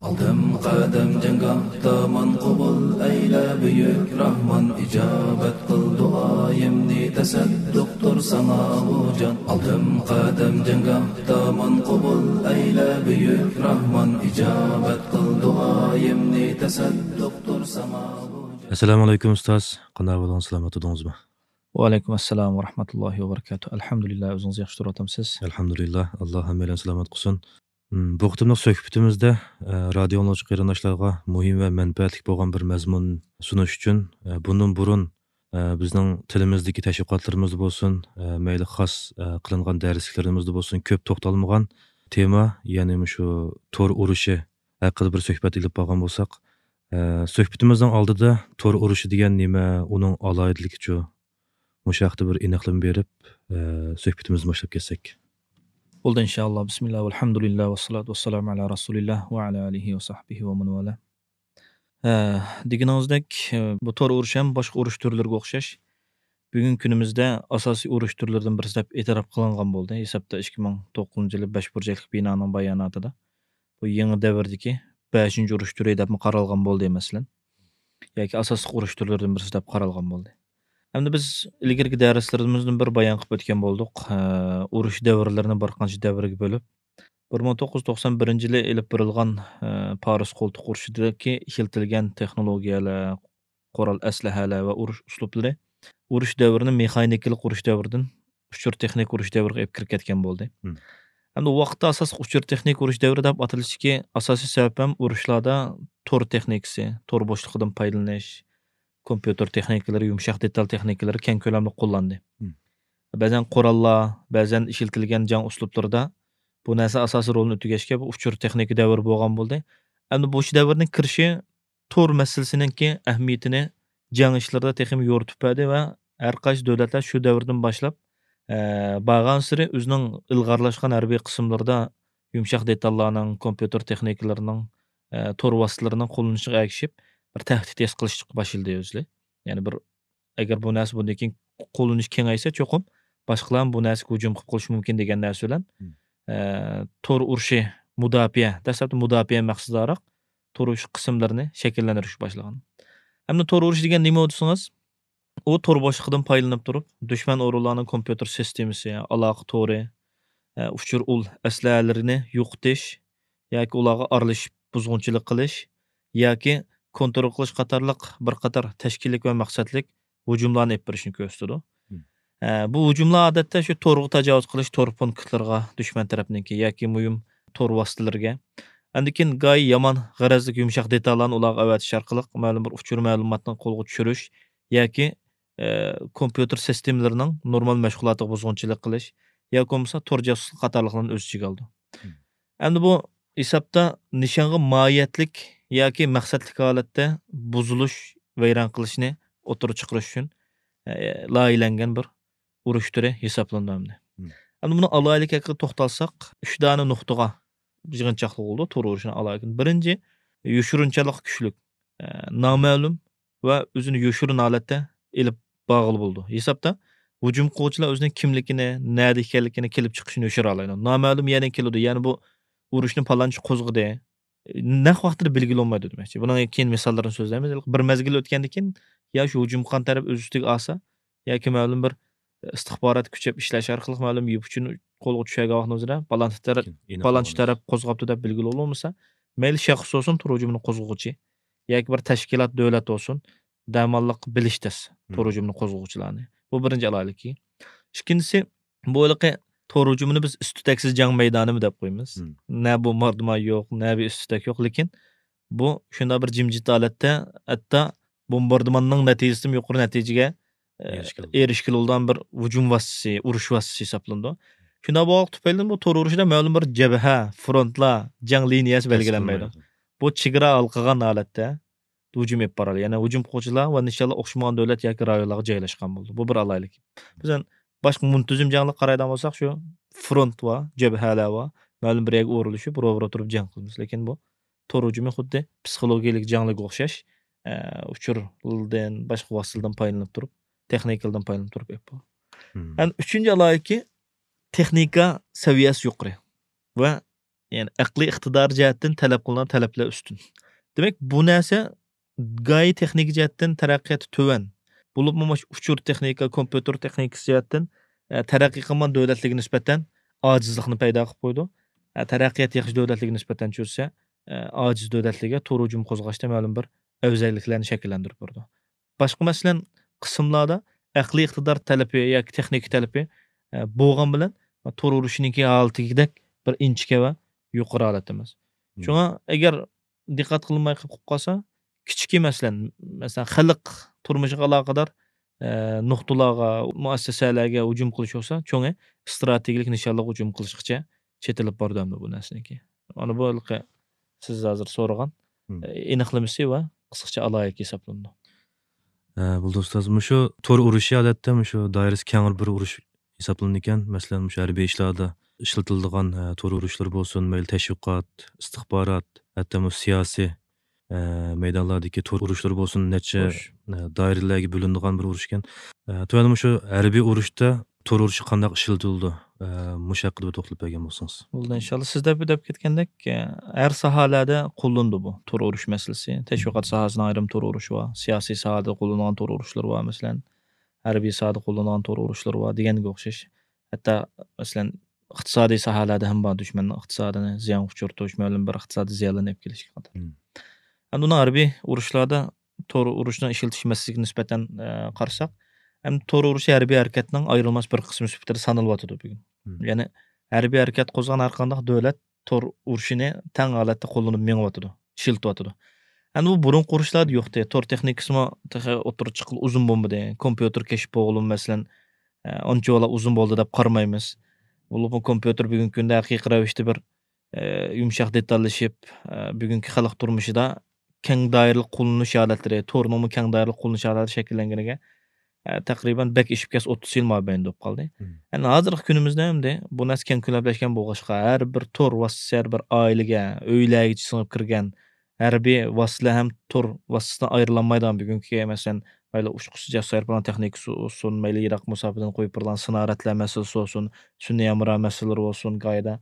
ئالدىم قەدەم جەڭگاھدا ماڭا قوبۇل ئەيلە بۈيۈك راھمان، ئىجابەت قىل دۇئايىمنى، تەسەددۇقتۇر ساڭا بۇ جان. ئالدىم قەدەم جەڭگاھدا ماڭا قوبۇل ئەيلە بۈيۈك راھمان، ئىجابەت قىل دۇئايىمنى، تەسەددۇقتۇر ساڭا بۇ جان. ئەسسالامۇ ئەلەيكۇم ئۇستاز، قانداق ئەھۋالىڭىز، سالامەت تۇردىڭىزمۇ؟ ۋەئەلەيكۇم ئەسسالام ۋە رەھمەتۇللاھى ۋە بەرىكاتۇھ. ئەلھەمدۇلىللا، ئۆزىڭىز ياخشى تۇرۇۋاتامسىز؟ ئەلھەمدۇلىللا، ئاللا ھەممەيلەننى سالامەت قىلسۇن. مم، بۇ قېتىملىق سۆھبىتىمىزدە، ئە، رادىئو ئاڭلىغۇچى قېرىنداشلارغا مۇھىم ۋە مەنپەئەتلىك بولغان بىر مەزمۇن سۇنۇش ئۈچۈن، ئە، بۇندىن بۇرۇن، ئە، بىزنىڭ تىلىمىزدىكى تەشۋىقاتلىرىمىزدا بولسۇن، ئە، مەيلى خاس، ئە، قىلىنغان دەرسلىكلىرىمىزدە بولسۇن، كۆپ توختالمىغان تېما، يەنى مۇشۇ تور ئۇرۇشى ھەققىدە بىر سۆھبەت ئېلىپ بارغان بولساق، ئە، سۆھبىتىمىزنىڭ ئالدىدا تور ئۇرۇشى دېگەن نېمە، ئۇنىڭ ئالاھىدىلىكىچۇ؟ مۇشۇ ھەقتە بىر ئېنىقلىما بېرىپ، ئە، سۆھبىتىمىزنى باشلاپ كەتسەك. بولدى، ئىنشائاللا. بىسمىللا، ۋەلھەمدۇلىللا، ۋەسسالاتۇ ۋەسسالامۇ ئەلا رەسۇلىللا ۋە ئەلا ئالىھى ۋە سەھبىھى ۋە مەن ۋالا. ئە، دېگىنىڭىزدەك، ئە، بۇ تور ئۇرۇشى ھەم باشقا ئۇرۇش تۈرلىرىگە ئوخشاش، بۈگۈنكى كۈنىمىزدە ئاساسىي ئۇرۇش تۈرلىرىدىن بىرسى دەپ ئېتىراپ قىلىنغان بولدى. ھېسابتا ئىككى مىڭ توققۇزىنچى يىلى بەش بۇرجەكلىك بىنانىڭ باياناتىدا بۇ يېڭى دەۋردىكى بەشىنچى ئۇرۇش تۈرى دەپمۇ قارالغان بولدى، مەسىلەن. ياكى ئاساسلىق ئۇرۇش تۈرلىرىدىن بىرسى دەپ قارالغان بولدى. ئەمدى بىز ئىلگىرىكى دەرسلىرىمىزدىن بىر بايان قىلىپ ئۆتكەن بولدۇق. ئە، ئۇرۇش دەۋرلىرىنى بىر قانچە دەۋرگە بۆلۈپ، بىر مىڭ توققۇز يۈز توقسان بىرىنچى يىلى ئېلىپ بېرىلغان، ئە، پارس قولتۇق ئۇرۇشىدىكى ئىشلىتىلگەن تېخنولوگىيەلەر، قورال ئەسلىھەلەر ۋە ئۇرۇش ئۇسلۇبلىرى ئۇرۇش دەۋرىنى مېخانىكىلىق ئۇرۇش دەۋرىدىن ئۇچۇر تېخنىكا ئۇرۇش دەۋرىگە ئېلىپ كىرىپ كەتكەن بولدى. مم. ئەمدى ۋاقىتتا ئاساسلىق ئۇچۇر تېخنىكا ئۇرۇش دەۋرى دەپ ئاتىلىشتىكى ئاساسىي سەۋەب ھەم ئۇرۇشلاردا تور تېخنىكىسى، تور بوشلۇقىدىن پايدىلىنىش، كومپيۇتېر تېخنىكىلىرى، يۇمشاق دېتال تېخنىكىلىرى كەڭ كۆلەمدە قوللاندى. مم. بەزەن قوراللار، بەزەن ئىشلىتىلگەن جەڭ ئۇسلۇبلىرىدا بۇ نەرسە ئاساسىي رولنى ئۆتىگەچكە، بۇ ئۇچۇر تېخنىكا دەۋرى بولغان بولدى. ئەمدى بۇ دەۋرنىڭ كىرىشى تور مەسىلىسىنىڭكى ئەھمىيىتىنى جەڭ ئىشلىرىدا تېخىمۇ يورۇتۇپ بەردى ۋە ھەر قايسى دۆلەتلەر شۇ دەۋردىن باشلاپ، ئە، بارغانسېرى ئۆزىنىڭ ئىلغارلاشقان ھەربىي قىسىملىرىدا يۇمشاق دېتاللارنىڭ، كومپيۇتېر تېخنىكىلىرىنىڭ، ئە، تور ۋاسىتىلىرىنىڭ قوللىنىشىغا ئەگىشىپ، بىر تەھدىت ھېس قىلىشقا باشلىدى ئۆزلىرى. يەنى بىر، ئەگەر بۇ نەرسە بۇندىن كېيىن قوللىنىش كېڭەيسە، چوقۇم باشقىلارمۇ بۇ نەرسىگە ھۇجۇم قىلىپ قېلىشى مۇمكىن دېگەن نەرسە بىلەن، مم. ئە، تور ئۇرۇشى مۇداپىئە، دەسلەپتە مۇداپىئە مەقسىتىدارەك تور ئۇرۇش قىسىملىرىنى شەكىللەندۈرۈشكە باشلىغان. ئەمدى تور ئۇرۇشى دېگەن نېمە دېسىڭىز، ئۇ تور بوشلۇقىدىن پايدىلىنىپ تۇرۇپ، دۈشمەن ئورۇنلارنىڭ كومپيۇتېر سىستېمىسى، ئالاقە تورى، ئە، ئۇچۇر ئۇل ئەسلىھەلىرىنى يوقىتىش ياكى ئۇلارغا ئارىلىشىپ بۇزغۇنچىلىق قىلىش ياكى كونترول قىلىش قاتارلىق بىر قاتار تەشكىللىك ۋە مەقسەتلىك ھۇجۇملارنى ئېلىپ بېرىشنى كۆرسىتىدۇ. مم. ئە، بۇ ھۇجۇملار ئادەتتە شۇ تورغا تاجاۋۇز قىلىش، تور پونكىتلىرىغا، دۈشمەن تەرەپنىڭكى ياكى مۇھىم تور ۋاسىتىلىرىگە. ئاندىن كېيىن گاي يامان غەرەزلىك يۇمشاق دېتاللارنى ئۇلارغا ئەۋەتىش ئارقىلىق مەلۇم بىر ئۇچۇر مەلۇماتنى قولغا چۈشۈرۈش ياكى، ئە، كومپيۇتېر سىستېمىلىرىنىڭ نورمال مەشغۇلاتىغا بۇزغۇنچىلىق قىلىش ياكى بولمىسا تور جاسۇسلۇق قاتارلىقلارنى ئۆز ئىچىگە ئالىدۇ. مم. ئەمدى بۇ ھېسابتا نىشانغا ماھىيەتلىك ياكى مەقسەتلىك ھالەتتە بۇزۇلۇش، ۋەيران قىلىشنى ئوتتۇرىغا چىقىرىش ئۈچۈن، ئە، لايىھەلەنگەن بىر ئۇرۇش تۈرى ھېسابلىنىدۇ ئەمدى. مم. ئەمدى بۇنىڭ ئالاھىدىلىكى ھەققىدە توختالساق، ئۈچ دانە نۇقتىغا يىغىنچاقلىق بولىدۇ تور ئۇرۇشىنىڭ ئالاھىدىلىكى. بىرىنچى، يوشۇرۇنچانلىقى كۈچلۈك، ئە، نامەلۇم ۋە ئۆزىنى يوشۇرۇن ھالەتتە ئېلىپ بارغىلى بولىدۇ. ھېسابتا ھۇجۇم قىلغۇچىلار ئۆزىنىڭ كىملىكىنى، نەدە ئىكەنلىكىنى، كېلىپ چىقىشىنى يوشۇرالايدۇ. نامەلۇم يەنە كېلىدۇ. يەنى بۇ ئۇرۇشنى پالانچى قوزغىدى. نەق ۋاقتىدا بېلگىلى بولمايدۇ دېمەكچى. بۇنىڭ كېيىن مىساللىرىنى سۆزلەيمىز. بىر مەزگىل ئۆتكەندىن كېيىن يا شۇ ھۇجۇم قىلغان تەرەپ ئۆز ئۈستىگە ئالسا، ياكى مەلۇم بىر ئىستىخبارات كۈچەپ ئىشلەش ئارقىلىق مەلۇم يىپ ئۇچىنى قولغا چۈشۈرگەن ۋاقتىنىڭ ئۆزىدە پالانچى تەرەپ، كېيىن ئېنىق پالانچى بولغان تەرەپ قوزغاپتۇ دەپ بېلگىلى بولمىسا، مەيلى شەخس بولسۇن، تور ھۇجۇمىنى قوزغىغۇچى ياكى بىر تەشكىلات، دۆلەت بولسۇن، دەماللىق بىلىش تەس، مم، تور ھۇجۇمىنى قوزغىغۇچىلارنى. بۇ بىرىنچى ئالاھىدىلىكى. ئىككىنچىسى، بۇ ھېلىقى تور ھۇجۇمىنى بىز ئىس-تۈتەكسىز جەڭ مەيدانىمۇ دەپ قويىمىز. مم. نە بومباردىمان يوق، نە بىر ئىس-تۈتەك يوق، لېكىن بۇ شۇنداق بىر جىمجىت ھالەتتە، ھەتتا بومباردىماننىڭ نەتىجىسىدىمۇ يۇقىرى نەتىجىگە، ئە، ئېرىشكىلى بولىدىغان بىر ھۇجۇم ۋاسىتىسى، ئۇرۇش ۋاسىتىسى ھېسابلىنىدۇ. شۇنداق بولغانلىقى تۈپەيلىدىن بۇ تور ئۇرۇشىدا مەلۇم بىر جەبھە، فرونتلار، جەڭ لىنىيەسى بەلگىلەنمەيدۇ. بۇ چېگرا ھالقىغان ھالەتتە ھۇجۇم ئېلىپ بارىدۇ. يەنى ھۇجۇم قىلغۇچىلار ۋە نىشانلار ئوخشىمىغان دۆلەت ياكى رايونلارغا جايلاشقان بولىدۇ. بۇ بىر ئالاھىدىلىكى. بىزدىن باشقا مۇنتىزىم جەڭلەرگە قارايدىغان بولساق، شۇ فرونت بار، جەبھەلەر بار. مەلۇم بىر يەرگە ئورۇنلىشىپ، روبىرو تۇرۇپ جەڭ قىلىمىز. لېكىن بۇ تور ھۇجۇمى خۇددى پسىخولوگىيەلىك جەڭلەرگە ئوخشاش، ئە، ئۇچۇردىن، باشقا ۋاسىتىلەردىن پايدىلىنىپ تۇرۇپ، تېخنىكىلىرىدىن پايدىلىنىپ تۇرۇپ ئېلىپ بارىدۇ. مم. يەنى ئۈچىنچى ئالاھىدىلىكى، تېخنىكا سەۋىيەسى يۇقىرى ۋە، يەنى ئەقلىي ئىقتىدار جەھەتتىن تەلەپ قىلىنغان تەلەپلەر ئۈستۈن. دېمەك، بۇ نەرسە گاي تېخنىكا جەھەتتىن تەرەققىياتى تۆۋەن، بولۇپمۇ مۇشۇ ئۇچۇر تېخنىكا، كومپيۇتېر تېخنىكىسى جەھەتتىن، ئە، تەرەققىي قىلمىغان دۆلەتلەرگە نىسبەتەن ئاجىزلىقنى پەيدا قىلىپ قويىدۇ. ئە، تەرەققىياتى ياخشى دۆلەتلەرگە نىسبەتەن چۈشسە، ئە، ئاجىز دۆلەتلەرگە تور ھۇجۇم قوزغاشتا مەلۇم بىر ئەۋزەللىكلەرنى شەكىللەندۈرۈپ بېرىدۇ. باشقا مەسىلەن، قىسىملاردا ئەقلىي ئىقتىدار تەلىپى ياكى تېخنىكا تەلىپى، ئە، بولغان بىلەن تور ئۇرۇشىنىڭكى ھالىتىدەك بىر ئىنچىكە ۋە يۇقىرى ھالەتتە ئەمەس. مم. شۇڭا ئەگەر دىققەت قىلماي قېلىپ قالسا، كىچىكى مەسىلەن، مەسىلەن، خەلق تۇرمۇشىغا ئالاقىدار، ئە، نۇقتىلارغا، مۇئەسسەسەلەرگە ھۇجۇم قىلىش بولسا، چوڭى ئىستراتېگىيەلىك نىشانلىق ھۇجۇم قىلىشقىچە چېتىلىپ بارىدۇ ئەمدى بۇ نەرسىنىڭكى. مانا بۇ ھېلىقى سىز ھازىر سورىغان، مم، ئېنىقلىمىسى ۋە قىسقىچە ئالاھىدىلىكى ھېسابلىنىدۇ. ئە، بولدى ئۇستاز، مۇشۇ تور ئۇرۇشى ئادەتتە مۇشۇ دائىرىسى كەڭرى بىر ئۇرۇش ھېسابلىنىدىكەن. مەسىلەن، مۇشۇ ھەربىي ئىشلاردا ئىشلىتىلىدىغان، ئە، تور ئۇرۇشلىرى بولسۇن، مەيلى تەشۋىقات، ئىستىخبارات، ھەتتا مۇشۇ سىياسىي، ئە، مەيدانلاردىكى تور ئۇرۇشلىرى بولسۇن، نەچچە، ئە، دائىرىلەرگە بۆلۈنىدىغان بىر ئۇرۇشكەن. ئە، تۆۋەندە مۇشۇ ھەربىي ئۇرۇشتا تور ئۇرۇشى قانداق ئىشلىتىلىدۇ؟ ئە، مۇشۇ ھەققىدە بىر توختىلىپ بەرگەن بولسىڭىز. بولدى، ئىنشاللا. سىز دەپ، دەپ كەتكەندەك، ئە، ھەر ساھەلەردە قوللىنىدۇ بۇ تور ئۇرۇش مەسىلىسى. تەشۋىقات ساھەسىنىڭ ئايرىم تور ئۇرۇشى بار، سىياسىي ساھەدە قوللىنىدىغان تور ئۇرۇشلىرى بار، مەسىلەن، ھەربىي ساھەدە قوللىنىدىغان تور ئۇرۇشلىرى بار دېگەنگە ئوخشاش. ھەتتا، مەسىلەن، ئىقتىسادىي ساھەلەردە ھەم بار، دۈشمەننىڭ ئىقتىسادىنى زىيانغا ئۇچرىتىش، مەلۇم بىر ئىقتىسادىي زىيانلارنى ئېلىپ كېلىشكە قاتار. مم. ئەمدى ئۇنىڭ ھەربىي ئۇرۇشلاردا تور ئۇرۇشنىڭ ئىشلىتىش مەسىلىسىگە نىسبەتەن، ئە، قارىساق، ئەمدى تور ئۇرۇشى ھەربىي ھەرىكەتنىڭ ئايرىلماس بىر قىسمى سۈپىتىدە سانىلىۋاتىدۇ بۈگۈن. مم. يەنى ھەربىي ھەرىكەت قوزغىغان ھەر قانداق دۆلەت تور ئۇرۇشىنى تەڭ ھالەتتە قوللىنىپ مېڭىۋاتىدۇ، ئىشلىتىۋاتىدۇ. ئەمدى بۇ بۇرۇنقى ئۇرۇشلاردا يوقتى. تور تېخنىكىسىمۇ تېخى ئوتتۇرىغا چىققىلى ئۇزۇن بولمىدى. كومپيۇتېر كەشىپ بولغىلىمۇ، مەسىلەن، ئە، ئانچىۋالا ئۇزۇن بولدى دەپ قارىمايمىز. بولۇپمۇ كومپيۇتېر بۈگۈنكى كۈندە ھەقىقىي رەۋىشتە بىر، ئە، يۇمشاق دېتاللىشىپ، ئە، بۈگۈنكى خەلق تۇرمۇشىدا كەڭ دائىرىلىك قوللىنىش ھالەتلىرى، تورنىڭمۇ كەڭ دائىرىلىك قوللىنىش ھالەتلىرى شەكىللەنگىنىگە، ئە، تەقرىبەن بەك ئېشىپ كەتسە ئوتتۇز يىل مابەينىدە بولۇپ قالدى. مم. ئەمدى ھازىرقى كۈنىمىزدە ئەمدى بۇ نەرسە كەڭ كۆلەملەشكەن بولغاچقا، ھەر بىر تور ۋاسىتىسى ھەر بىر ئائىلىگە، ئۆيلەرگىچە سىڭىپ كىرگەن، ھەربىي ۋاسىتىلەر ھەم تور ۋاسىتىسىدىن ئايرىلالمايدىغان بۈگۈنكى، مەسىلەن، مەيلى ئۇچقۇچىسى جەسۇس ئايروپىلان تېخنىكىسى بولسۇن، مەيلى يىراق مۇساپىدىن قويۇپ بېرىدىغان سىنارەدلەر مەسىلىسى بولسۇن، سۈنئىي ھەمراھ مەسىلىلىرى بولسۇن، گاھىدا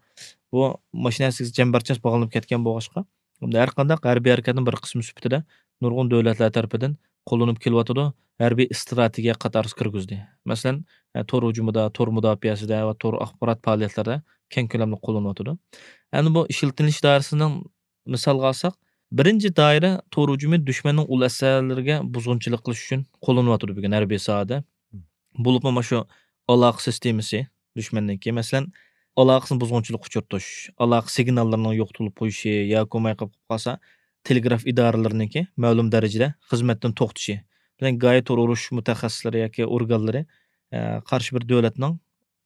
بۇ ماشىنا ھەسسىسىگە چەمبەرچاس باغلىنىپ كەتكەن بولغاچقا، ھەر قانداق ھەربىي ھەرىكەتنىڭ بىر قىسمى سۈپىتىدە نۇرغۇن دۆلەتلەر تەرىپىدىن قوللىنىپ كېلىۋاتىدۇ، ھەربىي ئىستراتېگىيە قاتارىسىغا كىرگۈزدى. مەسىلەن، ئە، تور ھۇجۇمىدا، تور مۇداپىئەسىدە ۋە تور ئاخبارات پائالىيەتلىرىدە كەڭ كۆلەملىك قوللىنىۋاتىدۇ. ئەمدى بۇ ئىشلىتىلىش دائىرىسىنىڭ مىسالغا ئالساق، بىرىنچى دائىرە تور ھۇجۇمى دۈشمەننىڭ ئۇل ئەسلىھەلىرىگە بۇزغۇنچىلىق قىلىش ئۈچۈن قوللىنىۋاتىدۇ بۈگۈن ھەربىي ساھەدە. مم. بولۇپمۇ مانا شۇ ئالاقە سىستېمىسى دۈشمەننىڭكى، مەسىلەن، ئالاقىسىنى بۇزغۇنچىلىققا ئۇچرىتىش، ئالاقە سىگناللىرىنىڭ يوقىتىلىپ قويۇشى ياكى بولماي قېلىپ قالسا، تېلېگراف ئىدارىلىرىنىڭكى مەلۇم دەرىجىدە خىزمەتتىن توختىشى. بىلەن گاھى تور ئۇرۇش مۇتەخەسسىسلىرى ياكى ئورگانلىرى، ئە، قارشى بىر دۆلەتنىڭ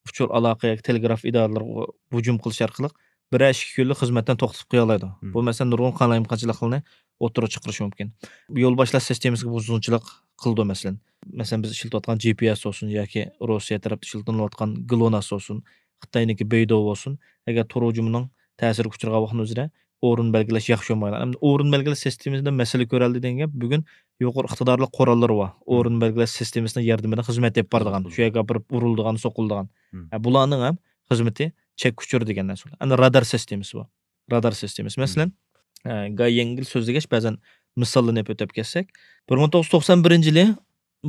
ئۇچۇر ئالاقە ياكى تېلېگراف ئىدارىلىرىغا ھۇجۇم قىلىش ئارقىلىق بىرەر ئىككى كۈنلۈك خىزمەتتىن توختىتىپ قويالايدۇ. مم. بۇ، مەسىلەن، نۇرغۇن قالايمىقانچىلىقلارنى ئوتتۇرىغا چىقىرىشى مۇمكىن. يولباشلاش سىستېمىسىغا بۇزغۇنچىلىق قىلىدۇ، مەسىلەن. مەسىلەن، بىز ئىشلىتىۋاتقان جى پى ئېس بولسۇن ياكى روسىيە تەرەپتە ئىشلىتىلىۋاتقان گلوناس بولسۇن، خىتاينىڭكى بەيدۇ بولسۇن، ئەگەر تور ھۇجۇمىنىڭ تەسىرىگە ئۇچرىغان ۋاقتىنىڭ ئۆزىدە ئورۇن بەلگىلەش ياخشى بولمايدۇ. ئەمدى ئورۇن بەلگىلەش سىستېمىسىدا مەسىلە كۆرەلدى دېگەن گەپ، بۈگۈن يۇقىرى ئىقتىدارلىق قوراللىرى بار. مم. ئورۇن بەلگىلەش سىستېمىسىنىڭ ياردىمىدە خىزمەت ئېلىپ بارىدىغان، شۇ يەرگە ئاپىرىپ ئۇرۇلىدىغان، سوقۇلىدىغان. مم. ھە، بۇلارنىڭ ھەم خىزمىتى چەككە ئۇچۇر دېگەن نەرسە. ئەمدى رادار سىستېمىسى بار. رادار سىستېمىسى. مم. مەسىلەن، ئە، گاي يەڭگىل سۆزلىگەچ، بەزەن مىساللىرىنى ئۆتۈپ كەتسەك، بىر مىڭ توققۇز يۈز توقسان بىرىنچى يىلى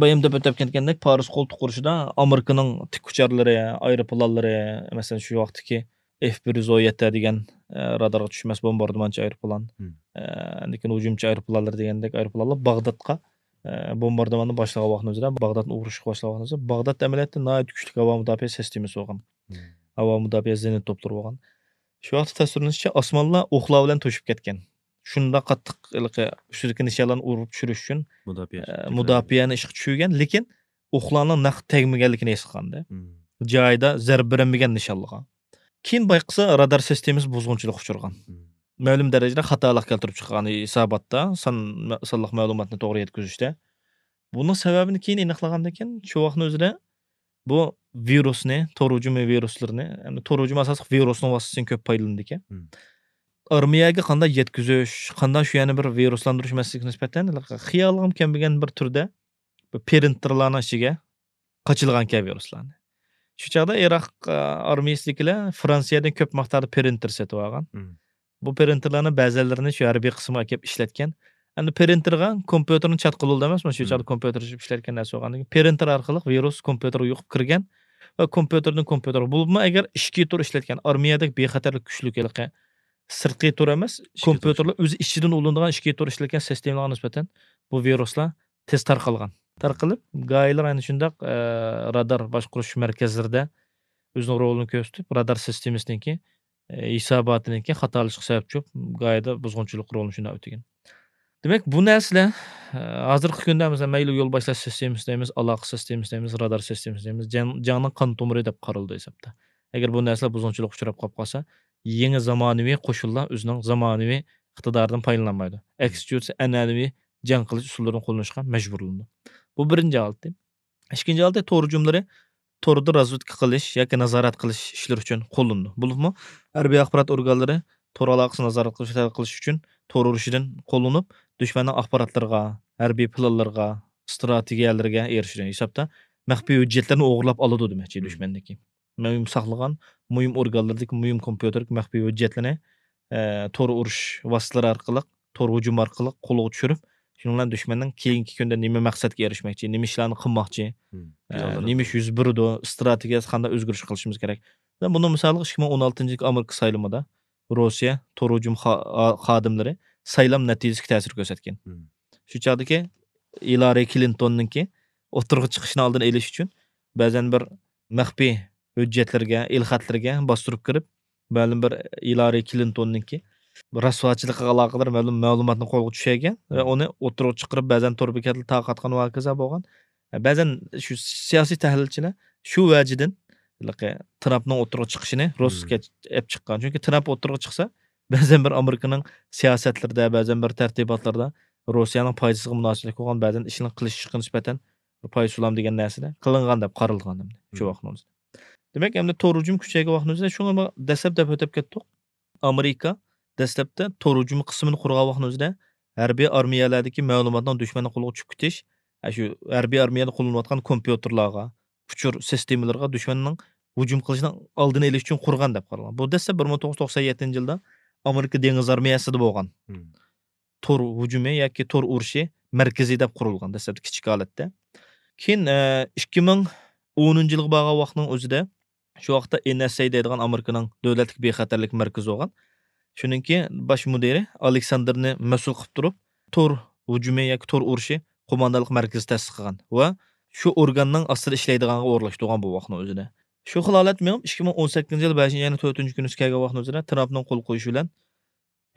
بايام دەپ ئۆتۈپ كەتكەندەك، پارس قولتۇق ئۇرۇشىدا ئامېرىكىنىڭ تىك ئۇچارلىرى، ئايروپىلانلىرى، مەسىلەن، شۇ ۋاقىتتىكى ئېف بىر يۈز ئون يەتتە دېگەن، ئە، رادارغا چۈشمەس بومباردىمانچى ئايروپىلان، مم. ئە، ئاندىن كېيىن ھۇجۇمچى ئايروپىلانلىرى دېگەندەك ئايروپىلانلار باغدادقا، ئە، بومباردىماننى باشلىغان ۋاقتىمىزدا، باغدادنى ئۇرۇشقا باشلىغان ۋاقتىمىزدا، باغداد ئەمەلىيەتتە ناھايىتى كۈچلۈك ھاۋا مۇداپىئە سىستېمىسى بولغان. مم. ھاۋا مۇداپىئە زېنىت توپلىرى بولغان. شۇ ۋاقىتتا تەسۋىرلىنىشىچە، ئاسمانلار ئوقلار بىلەن توشۇپ كەتكەن. شۇنداق قاتتىق ھېلىقى ئۈستىدىكى نىشانلارنى ئۇرۇپ چۈشۈرۈش ئۈچۈن، مۇداپىئە ئە، شەكىللەندى. مۇداپىئەنى ئىشقا چۈشۈرگەن، لېكىن ئوقلارنىڭ نەق تەگمىگەنلىكىنى ھېس قىلغانىدى. مم. جايىدا زەربە بېرەلمىگەن نىشانلىغا. كېيىن بايقىسا، رادار سىستېمىسى بۇزغۇنچىلىققا ئۇچرىغان. مم. مەلۇم دەرىجىدە خاتالىق كەلتۈرۈپ چىققان ھېساباتتا، سان-، سانلىق مەلۇماتنى توغرا يەتكۈزۈشتە. بۇنىڭ سەۋەبىنى كېيىن ئېنىقلىغاندىن كېيىن، شۇ ۋاقىتنىڭ ئۆزىدە بۇ ۋىرۇسنى، تور ھۇجۇمى ۋىرۇسلىرىنى، يەنى تور ھۇجۇمى ئاساسلىق ۋىرۇسنىڭ ۋاسىتىسىدىن كۆپ پايدىلىنىدىكەن. مم. ئارمىيەگە قانداق يەتكۈزۈش، قانداق شۇ يەنە بىر ۋىرۇسلاندۇرۇش مەسىلىسىگە نىسبەتەن خىيالىغىمۇ كەلمىگەن بىر تۈردە بىر پرىنتېرلارنىڭ ئىچىگە قاچىلىغانكەن ۋىرۇسلارنى. شۇ چاغدا ئىراق، ئە، ئارمىيەسىدىكىلەر فرانسىيەدىن كۆپ مىقداردا پرىنتېر سېتىۋالغان. مم. بۇ پرىنتېرلارنىڭ بەزىلىرىنى شۇ ھەربىي قىسىمغا ئەكەپ ئىشلەتكەن. ئەمدى پرىنتېرغا كومپيۇتېرنى چاتقىلى بولىدۇ ئەمەسمۇ، شۇ مم. چاغدا كومپيۇتېر ئىشلەتكەن نەرسە بولغاندىن كېيىن، پرىنتېر ئارقىلىق ۋىرۇس كومپيۇتېرغا يۇقۇپ كىرگەن ۋە كومپيۇتېردىن كومپيۇتېرغا، بولۇپمۇ ئەگەر ئىچكى تور ئىشلەتكەن، ئارمىيەدەك بىخەتەرلىك كۈچلۈك ھېلىقى سىرتقى تور ئەمەس، ئىچكى تور. كومپيۇتېرلار ئۆزى ئىچىدىن ئۇلىنىدىغان ئىچكى تور ئىشلەتكەن سىستېمىلارغا نىسبەتەن بۇ ۋىرۇسلار تېز تارقالغان. تارقىلىپ، گاھىلار ئەنە شۇنداق، ئە، رادار باشقۇرۇش مەركەزلىرىدە ئۆزىنىڭ رولىنى كۆرسىتىپ، رادار سىستېمىسىنىڭكى، ئە، ھېساباتىنىڭكى خاتالىشىشقا سەۋەبچى بولۇپ، گاھىدا بۇزغۇنچىلىق رولىنى شۇنداق ئۆتىگەن. دېمەك، بۇ نەرسىلەر، ئە، ھازىرقى كۈندە، مەسىلەن، مەيلى يولباشلاش سىستېمىسى دەيمىز، ئالاقە سىستېمىسى دەيمىز، رادار سىستېمىسى دەيمىز، جەڭ، جەڭنىڭ قان تومۇرى دەپ قارىلىدۇ ھېسابتا. ئەگەر بۇ نەرسىلەر بۇزغۇنچىلىققا ئۇچراپ قاپ قالسا، يېڭى زامانىۋى قوشۇنلار ئۆزىنىڭ زامانىۋى ئىقتىدارىدىن پايدىلانمايدۇ. ئەكسىچە ئەنئەنىۋى جەڭ قىلىش ئۇسۇللىرىنى قوللىنىشقا مەجبۇرلىنىدۇ. بۇ بىرىنچى ھالىتى. ئىككىنچى ھالىتى، تور ھۇجۇملىرى توردا رازۋېدكا قىلىش ياكى نازارەت قىلىش ئىشلىرى ئۈچۈن قوللىنىدۇ. بولۇپمۇ ھەربىي ئاخبارات ئورگانلىرى تور ئالاقىسىنى نازارەت قىلىش، قىلىش ئۈچۈن تور ئۇرۇشىدىن قوللىنىپ، دۈشمەننىڭ ئاخباراتلىرىغا، ھەربىي پىلانلىرىغا، ئىستراتېگىيەلىرىگە ئېرىشىدۇ. ھېسابتا مەخپىي ھۆججەتلەرنى ئوغرىلاپ ئالىدۇ دېمەكچى، مم. دۈشمەندىكى مۇھىم ساقلىغان مۇھىم ئورگانلىرىدىكى مۇھىم كومپيۇتېردىكى مەخپىي ھۆججەتلىرىنى، ئە، تور ئۇرۇش ۋاسىتىلىرى ئارقىلىق، تور ھۇجۇمى ئارقىلىق قولغا چۈشۈرۈپ، شۇنىڭ بىلەن دۈشمەننىڭ كېيىنكى كۈندە نېمە مەقسەتكە ئېرىشمەكچى، نېمە ئىشلارنى قىلماقچى، مم. ئە، پىلانلىرى نېمە ئىش يۈز بېرىدۇ، ئىستراتېگىيەسى قانداق ئۆزگىرىش قىلىشىمىز كېرەك. مەسىلەن، بۇنىڭ مىسالىغا ئىككى مىڭ ئون ئالتىنچى يىلقى ئامېرىكا سايلىمىدا روسىيە تور ھۇجۇم خا-، خادىملىرى سايلام نەتىجىسىگە تەسىر كۆرسەتكەن. مم. شۇ چاغدىكى ھىلارى كلىنتوننىڭكى ئوتتۇرىغا چىقىشىنىڭ ئالدىنى ئېلىش ئۈچۈن بەزەن بىر مەخپىي ھۆججەتلىرىگە، ئېلخەتلىرىگە باستۇرۇپ كىرىپ، مەلۇم بىر ھىلارى كلىنتوننىڭكى رەسۋاچىلىقىغا ئالاقىدار مەلۇم مەلۇماتنى قولغا چۈشۈرگەن ۋە ئۇنى ئوتتۇرىغا چىقىرىپ، بەزەن تور بېكەتلىرى تارقاتقان ۋە ھاكازا بولغان. بەزەن شۇ سىياسىي تەھلىلچىلەر شۇ ۋەجىدىن ھېلىقى ترامپنىڭ ئوتتۇرىغا چىقىشىنى روسكا ئېلىپ چىققان. چۈنكى ترامپ ئوتتۇرىغا چىقسا، بەزەن بىر ئامېرىكىنىڭ سىياسەتلىرىدە، بەزەن بىر تەرتىباتلىرىدا روسىيەنىڭ پايدىسىغا مۇناسىۋەتلىك بولغان بەزەن ئىشنىڭ قىلىشىشقا نىسبەتەن بىر پايسۇلام دېگەن نەرسىدە قىلىنغان دەپ قارالغان شۇ ۋاقىتنىڭ ئۆزىدە. دېمەك، ئەمدى تور ھۇجۇم كۈچەيگەن ۋاقىتنىڭ ئۆزىدە شۇڭا دەسلەپ دەپ ئۆتۈپ كەتتۇق. ئامېرىكا دەسلەپتە تور ھۇجۇمى قىسمىنى قۇرغان ۋاقىتنىڭ ئۆزىدە ھەربىي ئارمىيەلەردىكى مەلۇماتنىڭ دۈشمەننىڭ قولىغا چۈشۈپ كېتىش، ئە، شۇ ھەربىي ئارمىيەدە قوللىنىلىۋاتقان كومپيۇتېرلارغا، ئۇچۇر سىستېمىلىرىغا دۈشمەننىڭ ھۇجۇم قىلىشىنىڭ ئالدىنى ئېلىش ئۈچۈن قۇرغان دەپ قارالغان. بۇ دەسلەپ بىر مىڭ توققۇز يۈز توقسەن يەتتىنچى يىلدا ئامېرىكا دېڭىز ئارمىيەسىدە بولغان تور ھۇجۇمى ياكى تور ئۇرۇشى مەركىزى دەپ قۇرۇلغان دەسلەپتە كىچىك ھالەتتە. كېيىن، ئە، ئىككى مىڭ ئونىنچى يىلغا بارغان ۋاقىتنىڭ ئۆزىدە شۇ ۋاقىتتا ئېن ئەس ئەي دەيدىغان ئامېرىكىنىڭ دۆلەتلىك بىخەتەرلىك مەركىزى بولغان. شۇنىڭكى باش مۇدىرى ئالېكساندىرنى مەسئۇل قىلىپ تۇرۇپ، تور ھۇجۇمى ياكى تور ئۇرۇشى قوماندانلىق مەركىزى تەسىس قىلغان ۋە شۇ ئورگاننىڭ ئاستىدا ئىشلەيدىغانغا ئورۇنلاشتۇرغان بۇ ۋاقىتنىڭ ئۆزىدە. شۇ خىل ھالەت مېڭىپ، ئىككى مىڭ ئون سەككىزىنچى يىل بەشىنچى ئاينىڭ تۆتىنچى كۈنى كەلگەن ۋاقىتنىڭ ئۆزىدە ترامپنىڭ قول قويۇشى بىلەن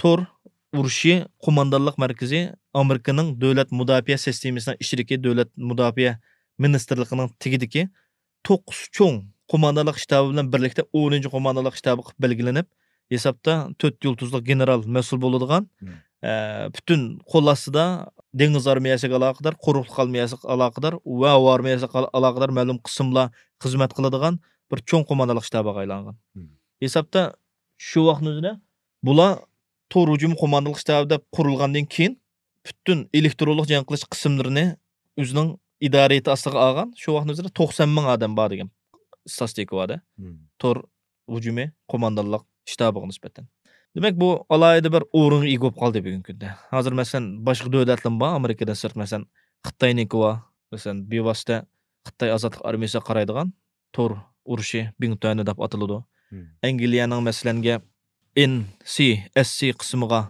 تور ئۇرۇشى قوماندانلىق مەركىزى ئامېرىكىنىڭ دۆلەت مۇداپىئە سىستېمىسىنىڭ ئىچىدىكى دۆلەت مۇداپىئە مىنىستىرلىقىنىڭ تېگىدىكى توققۇز چوڭ قوماندانلىق شتابى بىلەن بىرلىكتە ئونىنچى قوماندانلىق شتابى قىلىپ بەلگىلىنىپ، ھېسابتا تۆت يۇلتۇزلۇق گېنېرال مەسئۇل بولىدىغان، ئە، پۈتۈن قول ئاستىدا دېڭىز ئارمىيەسىگە ئالاقىدار، قۇرۇقلۇق ئارمىيەسىگە ئالاقىدار ۋە ھاۋا ئارمىيەسىگە ئالاقىدار مەلۇم قىسىملار خىزمەت قىلىدىغان بىر چوڭ قوماندانلىق شتابىغا ئايلانغان. ھېسابتا شۇ ۋاقىتنىڭ ئۆزىدە بۇلار تور ھۇجۇم قوماندانلىق شتابى دەپ قۇرۇلغاندىن كېيىن، پۈتۈن ئېلېكترونلۇق جەڭ قىلىش قىسىملىرىنى ئۆزىنىڭ ئىدارىيىتى ئاستىغا ئالغان. شۇ ۋاقىتنىڭ ئۆزىدە توقسان مىڭ ئادەم بار دېگەن ئىستاتىستىكا بار-دە. تور ھۇجۇمى قوماندانلىق شتابىغا نىسبەتەن. دېمەك، بۇ ئالاھىدە بىر ئورۇنغا ئىگە بولۇپ قالدى بۈگۈنكى كۈندە. ھازىر، مەسىلەن، باشقا دۆلەتلەرمۇ بار، ئامېرىكىدىن سىرت، مەسىلەن، خىتاينىڭكى بار، مەسىلەن، بىۋاسىتە خىتاي ئازادلىق ئارمىيەسىگە قارايدىغان تور ئۇرۇشى بىڭتۈەنى دەپ ئاتىلىدۇ. ئەنگلىيەنىڭ، مەسىلەنگە، ئېن سى ئەس سى قىسمىغا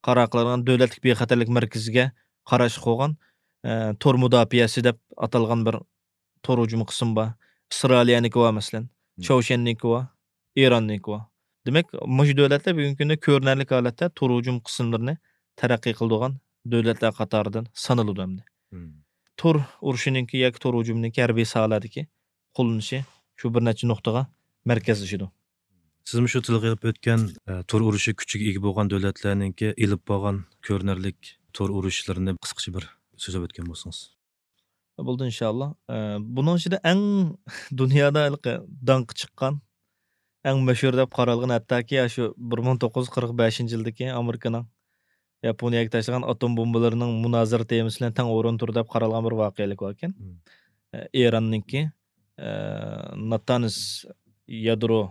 قارار قىلىدىغان دۆلەتلىك بىخەتەرلىك مەركىزىگە قاراشلىق بولغان، ئە، تور مۇداپىئەسى دەپ ئاتالغان بىر تور ھۇجۇمى قىسمى بار. ئىسرائىلىيەنىڭكى بار، مەسىلەن. چاۋشيەننىڭكى بار، ئىراننىڭكى بار. دېمەك، مۇشۇ دۆلەتلەر بۈگۈنكى كۈندە كۆرۈنەرلىك ھالەتتە تور ھۇجۇم قىسىملىرىنى تەرەققىي قىلىدىغان دۆلەتلەر قاتارىدىن سانىلىدۇ ئەمدى. تور ئۇرۇشىنىڭكى ياكى تور ھۇجۇمىنىڭكى ھەربىي ساھەلەردىكى قوللىنىشى شۇ بىر نەچچە نۇقتىغا مەركەزلىشىدۇ. سىزمۇ شۇ تىلغا ئېلىپ ئۆتكەن، ئە، تور ئۇرۇشى كۈچىگە ئىگە بولغان دۆلەتلەرنىڭكى ئېلىپ بارغان كۆرۈنەرلىك تور ئۇرۇشلىرىنى قىسقىچە بىر سۆزلەپ ئۆتكەن بولسىڭىز. بولدى، ئىنشاللا. ئە، بۇنىڭ ئىچىدە ئەڭ دۇنيادا ھېلىقى داڭقى چىققان، ئەڭ مەشھۇر دەپ قارالغان، ھەتتاكى ئاشۇ بىر مىڭ توققۇز يۈز قىرىق بەشىنچى يىلدىكى ئامېرىكىنىڭ ياپونىيەگە تاشلىغان ئاتوم بومبىلىرىنىڭ مۇنازىرە تېمىسى بىلەن تەڭ ئورۇن تۇرىدۇ دەپ قارالغان بىر ۋەقەلىك باركەن. ئە، ئىراننىڭكى، ئە، ناتانز يادرو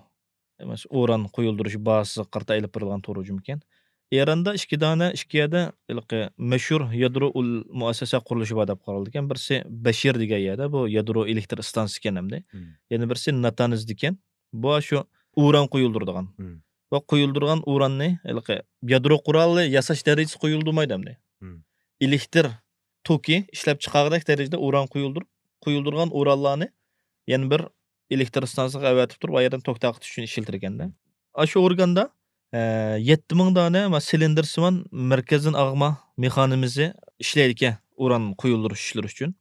ئەمەس، ئۇران قويۇلدۇرۇش بازىسىغا قارىتا ئېلىپ بېرىلغان تور ھۇجۇمى ئىكەن. ئىراندا ئىككى دانە، ئىككى يەردە ھېلىقى مەشھۇر يادرو ئۇل مۇئەسسەسە قۇرۇلۇشى بار دەپ قارالىدىكەن. بىرسى بەشىر دېگەن يەردە، بۇ يادرو ئېلېكتر ئىستانسىسى ئىكەن ئەمدى. يەنە بىرسى ناتانز دېگەن. بۇ شۇ ئۇران قويۇلدۇرىدىغان. ۋە قويۇلدۇرغان ئۇراننى ھېلىقى يادرو قورالى ياساش دەرىجىسى قويۇلدۇرمايدۇ ئەمدى. ئېلېكتر توكى ئىشلەپ چىقارغۇدەك دەرىجىدە ئۇران قويۇلدۇرۇپ، قويۇلدۇرغان ئۇرانلارنى يەنە بىر ئېلېكتر ئىستانسىسىغا ئەۋەتىپ تۇرۇپ، ئۇ يەردىن توك تارقىتىش ئۈچۈن ئىشلىتىلگەندە. ئاشۇ ئورگاندا، ئە، يەتتە مىڭ دانە، ما، سىلىندىرسىمان مەركەزدىن ئاغما مېخانىزمى ئىشلەيدىكەن، ئۇران قويۇلدۇرۇش ئىشلىرى ئۈچۈن.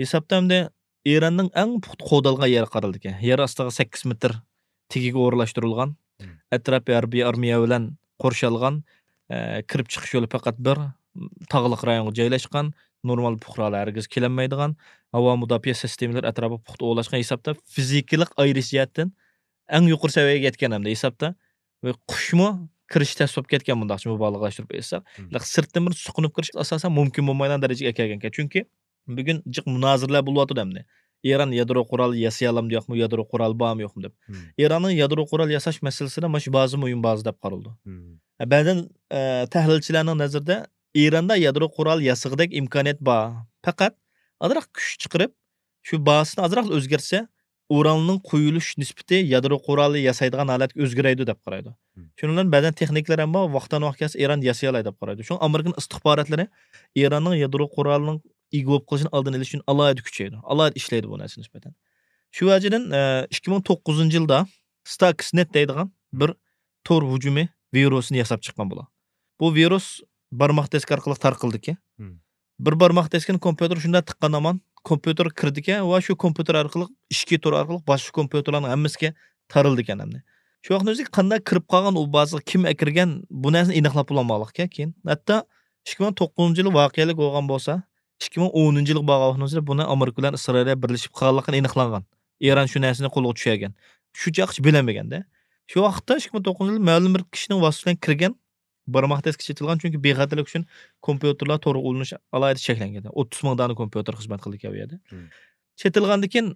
ھېسابتا ئەمدى ئىراننىڭ ئەڭ پۇختا قوغدالغان يېرى قارىلىدىكەن. يەر ئاستىغا سەككىز مېتىر تېگىگە ئورۇنلاشتۇرۇلغان، ئەتراپى ھەربىي ئارمىيە بىلەن قورشالغان، ئە، كىرىپ چىقىش يولى پەقەت بىر، تاغلىق رايونغا جايلاشقان، نورمال پۇقرالار ھەرگىز كېلەلمەيدىغان، ھاۋا مۇداپىئە سىستېمىلىرى ئەتراپىغا پۇختا ئورۇنلاشقان ھېسابتا، فىزىكىلىق ئايرىش جەھەتتىن ئەڭ يۇقىرى سەۋىيەگە يەتكەن ئەمدى ھېسابتا. ۋە قۇشمۇ كىرىش تەس بولۇپ كەتكەن، مۇنداقچە مۇبالىغىلەشتۈرۈپ ئېيتساق. سىرتتىن بىر سۇقۇنۇپ كىرىش ئاساسەن مۇمكىن بولمايدىغان دەرىجىگە كەلگەنكەن. چۈنكى بۈگۈن جىق مۇنازىرىلەر بولۇۋاتىدۇ ئەمدى. ئىران يادرو قورالى ياسىيالامدۇ يوقمۇ، يادرو قورالى بارمۇ يوقمۇ دەپ. ئىراننىڭ يادرو قورال ياساش مەسىلىسىدە مانا شۇ بازا مۇھىم بازا دەپ قارىلىدۇ. ئە، بەزەن، ئە، تەھلىلچىلەرنىڭ نەزىرىدە ئىراندا يادرو قورال ياسىغۇدەك ئىمكانىيەت بار. پەقەت ئازراق كۈچ چىقىرىپ، شۇ بازىسىنى ئازراق ئۆزگەرتسە، ئۇراننىڭ قويۇلۇش نىسبىتى يادرو قورالى ياسايدىغان ھالەتكە ئۆزگىرەيدۇ دەپ قارايدۇ. شۇنىڭ بىلەن بەزەن تېخنىكلار ھەم بار، ۋاقتىدىن ۋاقىت كەلسە ئىران ياسىيالايدۇ دەپ قارايدۇ. شۇڭا ئامېرىكىنىڭ ئىستىخباراتلىرى ئىراننىڭ يادرو قورالىنىڭ ئىگە بولۇپ قېلىشىنىڭ ئالدىنى ئېلىش ئۈچۈن ئالاھىدە كۈچەيدۇ. ئالاھىدە ئىشلەيدۇ بۇ نەرسىگە نىسبەتەن. شۇ ۋەجىدىن ئىككى مىڭ توققۇزىنچى يىلدا ستاكسنېت دەيدىغان بىر تور ھۇجۇمى ۋىرۇسىنى ياساپ چىققان بۇلار. بۇ ۋىرۇس بارماق دىسكى ئارقىلىق تارقىلىدىكەن. بىر بارماق دىسكىنى كومپيۇتېر شۇنداق تىققان ھامان كومپيۇتېرغا كىرىدىكەن ۋە شۇ كومپيۇتېر ئارقىلىق ئىچكى تور ئارقىلىق باشقا كومپيۇتېرلارنىڭ ھەممىسىگە تارىلىدىكەن ئەمدى. شۇ ۋاقىتنىڭ ئۆزىدە قانداق كىرىپ قالغان، ئۇ بازىغا كىم ئەكىرگەن، بۇ نەرسىنى ئېنىقلاپ بولالمىغانلىقكەن. كېيىن ھەتتا ئىككى مىڭ توققۇزىنچى يىلى ۋەقەلىك بولغان بولسا، ئىككى مىڭ ئونىنچى يىلغا بارغان ۋاقتىمىزدا بۇنى ئامېرىكا بىلەن ئىسرائىلىيە بىرلىشىپ قىلغانلىقىنى ئېنىقلانغان. ئىران شۇ نەرسىنى قولغا چۈشۈرگەن. شۇ چاغقىچە بىلەلمىگەندە. شۇ ۋاقىتتا ئىككى مىڭ توققۇزىنچى يىلى مەلۇم بىر كىشىنىڭ ۋاسىتىسى بىلەن كىرگەن، بارماق دىسكى چېتىلغان، چۈنكى بىخەتەرلىك ئۈچۈن كومپيۇتېرلار تورغا ئۇلىنىش ئالاھىدە چەكلەنگەن. ئوتتۇز مىڭ دانە كومپيۇتېر خىزمەت قىلىدىكەن ئۇ يەردە. چېتىلغاندىن كېيىن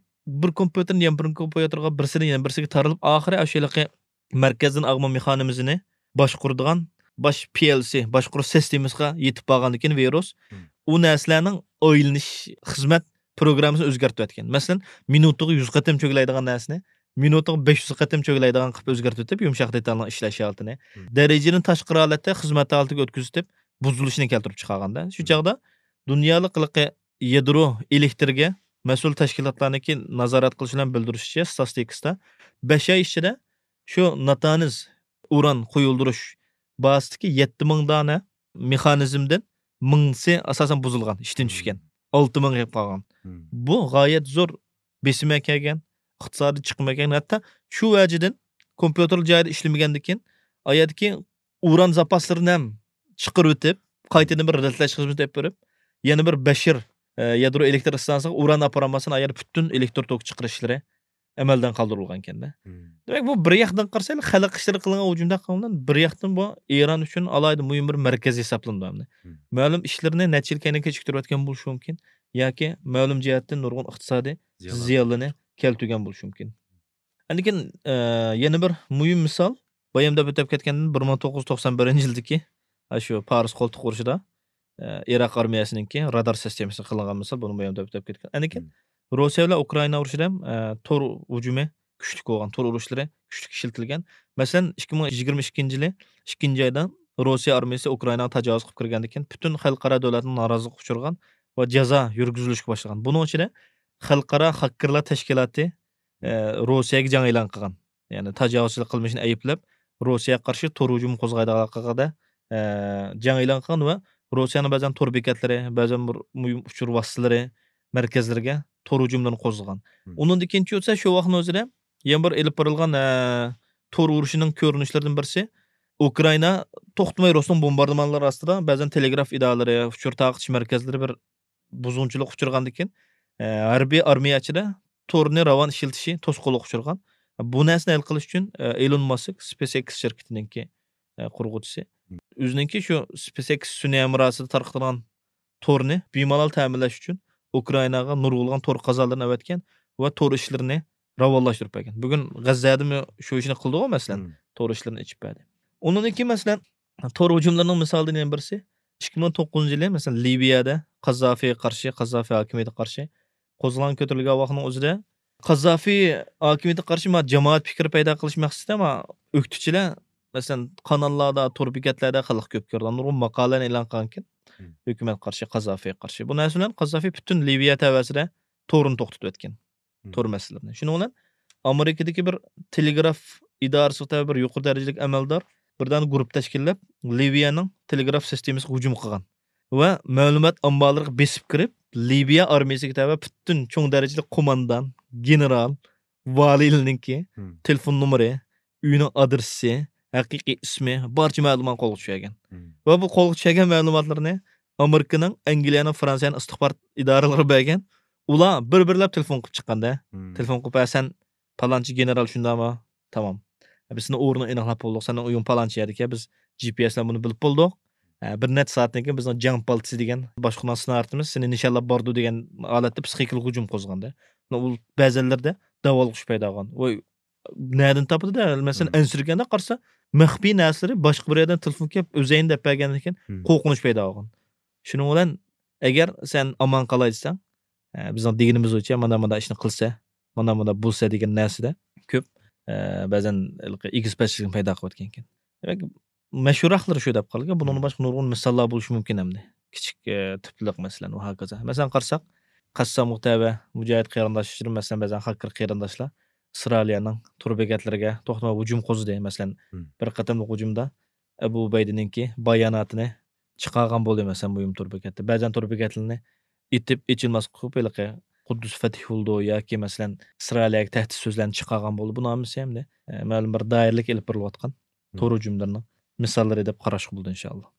بىر كومپيۇتېردىن يەنە بىر كومپيۇتېرغا، بىرسىدىن يەنە بىرسىگە تارىلىپ، ئاخىرى ئاشۇ ھېلىقى مەركەزدىن ئاغما مېخانىزمىنى باشقۇرىدىغان باش پى ئېل سى، باشقۇرۇش سىستېمىسىغا يېتىپ بارغاندىن كېيىن ۋىرۇس ئۇ نەرسىلەرنىڭ ئايلىنىش خىزمەت پروگراممىسىنى ئۆزگەرتىۋەتكەن. مەسىلەن، مىنۇتىغا يۈز قېتىم چۆگىلەيدىغان نەرسىنى مىنۇتىغا بەش يۈز قېتىم چۆگىلەيدىغان قىلىپ ئۆزگەرتىۋېتىپ، يۇمشاق دېتالنىڭ ئىشلەش ھالىتىنى، دەرىجىدىن تاشقىرى ھالەتتە خىزمەت ھالىتىگە ئۆتكۈزۈۋېتىپ، بۇزۇلۇشىنى كەلتۈرۈپ چىقارغاندا. شۇ چاغدا دۇنيالىق ھېلىقى يادرو ئېلېكتىرگە مەسئۇل تەشكىلاتلارنىڭكى نازارەت قىلىش بىلەن بىلدۈرۈشىچە، ستاتىستىكىسىدا بەش ئاي ئىچىدە شۇ ناتانز ئۇران قويۇلدۇرۇش بازىسىدىكى يەتتە مىڭ دانە مېخانىزمدىن مىڭسى ئاساسەن بۇزۇلغان، ئىشتىن چۈشكەن. ئالتە مىڭ قېلىپ قالغان. بۇ غايەت زور بېسىم ئەكەلگەن، ئىقتىسادىي چىقىم ئەكەلگەن. ھەتتا شۇ ۋەجىدىن كومپيۇتېر جايىدا ئىشلىمىگەندىكىن، ئايەردىكى ئۇران زاپاسلىرىنى ھەم چىقىرىۋېتىپ، قايتىدىن بىر رەتلەش خىزمىتى ئېلىپ بېرىپ، يەنە بىر بەشىر، ئە، يادرو ئېلېكتر ئىستانسىسىغا ئۇران ئاپىرالماستىن ئايەردە پۈتۈن ئېلېكتر توكى چىقىرىشلىرى ئەمەلدىن قالدۇرۇلغانكەن-دە. دېمەك، بۇ بىر ياقتىن قارىسا، خەلق ئىشلىرى قىلىنغان ھۇجۇمدەك قىلىنغان، بىر ياقتىن بۇ ئىران ئۈچۈن ئالاھىدە مۇھىم بىر مەركەز ھېسابلىنىدۇ ئەمدى. مەلۇم ئىشلىرىنى نەچچە يىل كەينىگە كېچىكتۈرۈۋەتكەن بولۇشى مۇمكىن ياكى مەلۇم جەھەتتىن نۇرغۇن ئىقتىسادىي زىيانلىرىنى كەلتۈرگەن بولۇشى مۇمكىن. ئاندىن كېيىن، ئە، يەنە بىر مۇھىم مىسال، بايام دەپ ئۆتۈپ كەتكەندىن بىر مىڭ توققۇز يۈز توقسان بىرىنچى يىلدىكى، ئە، شۇ پارس قولتۇق ئۇرۇشىدا، ئە، ئىراق ئارمىيەسىنىڭكى رادار سىستېمىسىغا قىلىنغان مىسال، بۇنى بايام دەپ ئۆتۈپ كەتكەن. ئاندىن كېيىن روسىيە بىلەن ئۇكرائىنا ئۇرۇشىدا ھەم، ئە، تور ھۇجۇمى كۈچلۈك بولغان، تور ئۇرۇشلىرى كۈچلۈك ئىشلىتىلگەن. مەسىلەن، ئىككى مىڭ يىگىرمە ئىككىنچى يىلى ئىككىنچى ئايدا روسىيە ئارمىيەسى ئۇكرائىناغا تاجاۋۇز قىلىپ كىرگەندىن كېيىن، پۈتۈن خەلقئارا دۆلەتنىڭ نارازىلىقىغا ئۇچرىغان ۋە جازا يۈرگۈزۈلۈشكە باشلىغان. بۇنىڭ ئىچىدە خەلقئارا خاككېرلار تەشكىلاتى، ئە، روسىيەگە جەڭ ئېلان قىلغان. يەنى تاجاۋۇزچىلىق قىلمىشىنى ئەيىبلەپ، روسىيەگە قارشى تور ھۇجۇمى قوزغايدىغانلىقىغا، ئە، جەڭ ئېلان قىلغان ۋە روسىيەنىڭ بەزەن تور بېكەتلىرى، بەزەن بىر مۇھىم ئۇچۇر ۋاسىتىلىرى مەركەزلىرىگە تور ھۇجۇملىرىنى قوزغىغان. ئۇنىڭدىن كېيىنچە بولسا شۇ ۋاقىتنىڭ ئۆزىدە يەنە بىر ئېلىپ بېرىلغان، ئە، تور ئۇرۇشىنىڭ كۆرۈنۈشلىرىدىن بىرسى، ئۇكرائىنا توختىماي روسنىڭ بومباردىمانلىرى ئاستىدا بەزەن تېلېگراف ئىدارىلىرى، ئۇچۇر تارقىتىش مەركەزلىرى بىر بۇزغۇنچىلىققا ئۇچرىغاندىن كېيىن، ئە، ھەربىي ئارمىيە ئىچىدە تورنى راۋان ئىشلىتىشى توسقۇنلۇققا ئۇچرىغان. بۇ نەرسىنى ھەل قىلىش ئۈچۈن، ئە، ئېلون ماسك، سپېيس ئېكس شىركىتىنىڭكى، ئە، قۇرغۇچىسى. ئۆزىنىڭكى شۇ سپېيس ئېكس سۈنئىي ھەمراھىسىدا تارقىتىدىغان تورنى بىمالال تەمىنلەش ئۈچۈن ئۇكرائىناغا نۇرغۇنلىغان تور قازانلىرىنى ئەۋەتكەن ۋە تور ئىشلىرىنى راۋانلاشتۇرۇپ بەرگەن. بۈگۈن غەززەدىمۇ شۇ ئىشنى قىلدىغۇ، مەسىلەن، تور ئىشلىرىنى ئېچىپ بەردى. ئۇنىڭدىن كېيىن، مەسىلەن، تور ھۇجۇملىرىنىڭ مىسالىدىن يەنە بىرسى، ئىككى مىڭ توققۇزىنچى يىلى، مەسىلەن، لىۋىيەدە قاززافىغا قارشى، قاززافى ھاكىمىيىتىگە قارشى قوزغىلاڭ كۆتۈرۈلگەن ۋاقىتنىڭ ئۆزىدە قاززافى ھاكىمىيىتىگە قارشى ما جامائەت پىكرى پەيدا قىلىش مەقسىتىدە ما ئۆكتىچىلەر، مەسىلەن، قاناللاردا، تور بېكەتلەردە خەلققە كۆپ كۆرۈلگەن نۇرغۇن ماقالىلەرنى ئېلان قىلغانكەن، ھۆكۈمەتكە قارشى، قاززافىغا قارشى. بۇ نەرسە بىلەن قاززافى پۈتۈن لىۋىيە تەۋەسىدە تورنى توختىتىۋەتكەن. تور مەسىلىلىرىنى. شۇنىڭ بىلەن ئامېرىكىدىكى بىر تېلېگراف ئىدارىسىغا تەۋە بىر يۇقىرى دەرىجىلىك ئەمەلدار بىر دانە گۇرۇپپا تەشكىللەپ، لىۋىيەنىڭ تېلېگراف سىستېمىسىغا ھۇجۇم قىلغان ۋە مەلۇمات ئامبارلىرىغا بېسىپ كىرىپ، لىۋىيە ئارمىيەسىگە تەۋە پۈتۈن چوڭ دەرىجىلىك قوماندان، گېنېرال، ۋالىيلىرىنىڭكى تېلېفون نومۇرى، ئۆيىنىڭ ئادرېسى، ھەقىقىي ئىسمى، بارچە مەلۇمات قولغا چۈشۈرگەن. ۋە بۇ قولغا چۈشۈرگەن مەلۇماتلىرىنى ئامېرىكىنىڭ، ئەنگلىيەنىڭ، فرانسىيەنىڭ ئىستىخبارات ئىدارىلىرىغا بەرگەن. ئۇلار بىر-بىرلەپ تېلېفون قىلىپ چىققاندا، تېلېفون قىلىپ، «ھە، سەن پالانچى گېنېرال، شۇنداقمۇ؟ تامام. بىز سېنىڭ ئورنۇڭنى ئېنىقلاپ بولدۇق، سېنىڭ ئۆيۈڭ پالانچى يەردىكەن، بىز جى پى ئېس بىلەن بۇنى بىلىپ بولدۇق. ھە، بىر نەچچە سائەتتىن كېيىن بىزنىڭ جەڭ پالتىسى دېگەن باشقۇرغان سنايپېرىمىز سېنى نىشانلاپ بارىدۇ» دېگەن ھالەتتە پسىخىكىلىق ھۇجۇم قوزغىغاندا. ئۇ بەزەنلىرىدە داۋالغۇش پەيدا بولغان. ۋاي، نەدىن تاپىدۇ-دە؟ مەسىلەن، ئەنسىرىگەندە قارىسا، مەخپىي نەرسىلىرى باشقا بىر يەردىن تېلېفون كېلىپ، ئۆزەينى دەپ بەرگەندىن كېيىن قورقۇنچ پەيدا بولغان. شۇنىڭ بىلەن، ئەگەر سەن ئامان قالاي دېسەڭ، ئە، بىزنىڭ دېگىنىمىز بويىچە مانا مۇنداق ئىشنى قىلسا، مانا مۇنداق بولسا دېگەن نەرسىدە كۆپ، ئە، بەزەن ھېلىقى ئېگىز پەسلىكنى پەيدا قىلىۋەتكەن ئىكەن. دېمەك، مەشھۇراقلىرى شۇ دەپ قالغان. بۇنىڭدىن باشقا نۇرغۇن مىساللار بولۇشى مۇمكىن ئەمدى. كىچىك، ئە، تىپلىق، مەسىلەن، ۋە ھاكازا. مەسىلەن، قارىساق، قەسسامغا تەۋە مۇجاھىد قېرىنداشلىرىم، مەسىلەن، بەزەن خاككىر قېرىنداشلار ئىسرائىلىيەنىڭ تور بېكەتلىرىگە توختىماي ھۇجۇم قوزغىدى. مەسىلەن، مم. بىر قېتىملىق ھۇجۇمدا ئەبۇ ئۇبەيدىنىڭكى باياناتىنى چىقارغان بولدى، مەسىلەن، مۇھىم تور بېكەتتە. بەزەن تور بېكەتلىرىنى ئېتىپ ئېچىلماسلىق قىلىپ، ھېلىقى قۇددۇس فەتھى بولىدۇ ياكى، مەسىلەن، ئىسرائىلىيەگە تەھدىت سۆزلەرنى چىقارغان بولدى. بۇنىڭ ھەممىسى ئەمدى، ئە، مەلۇم بىر دائىرىلىك ئېلىپ بېرىلىۋاتقان تور ھۇجۇملىرىنىڭ مىساللىرى دەپ قاراشقا بولىدۇ، ئىنشائاللا.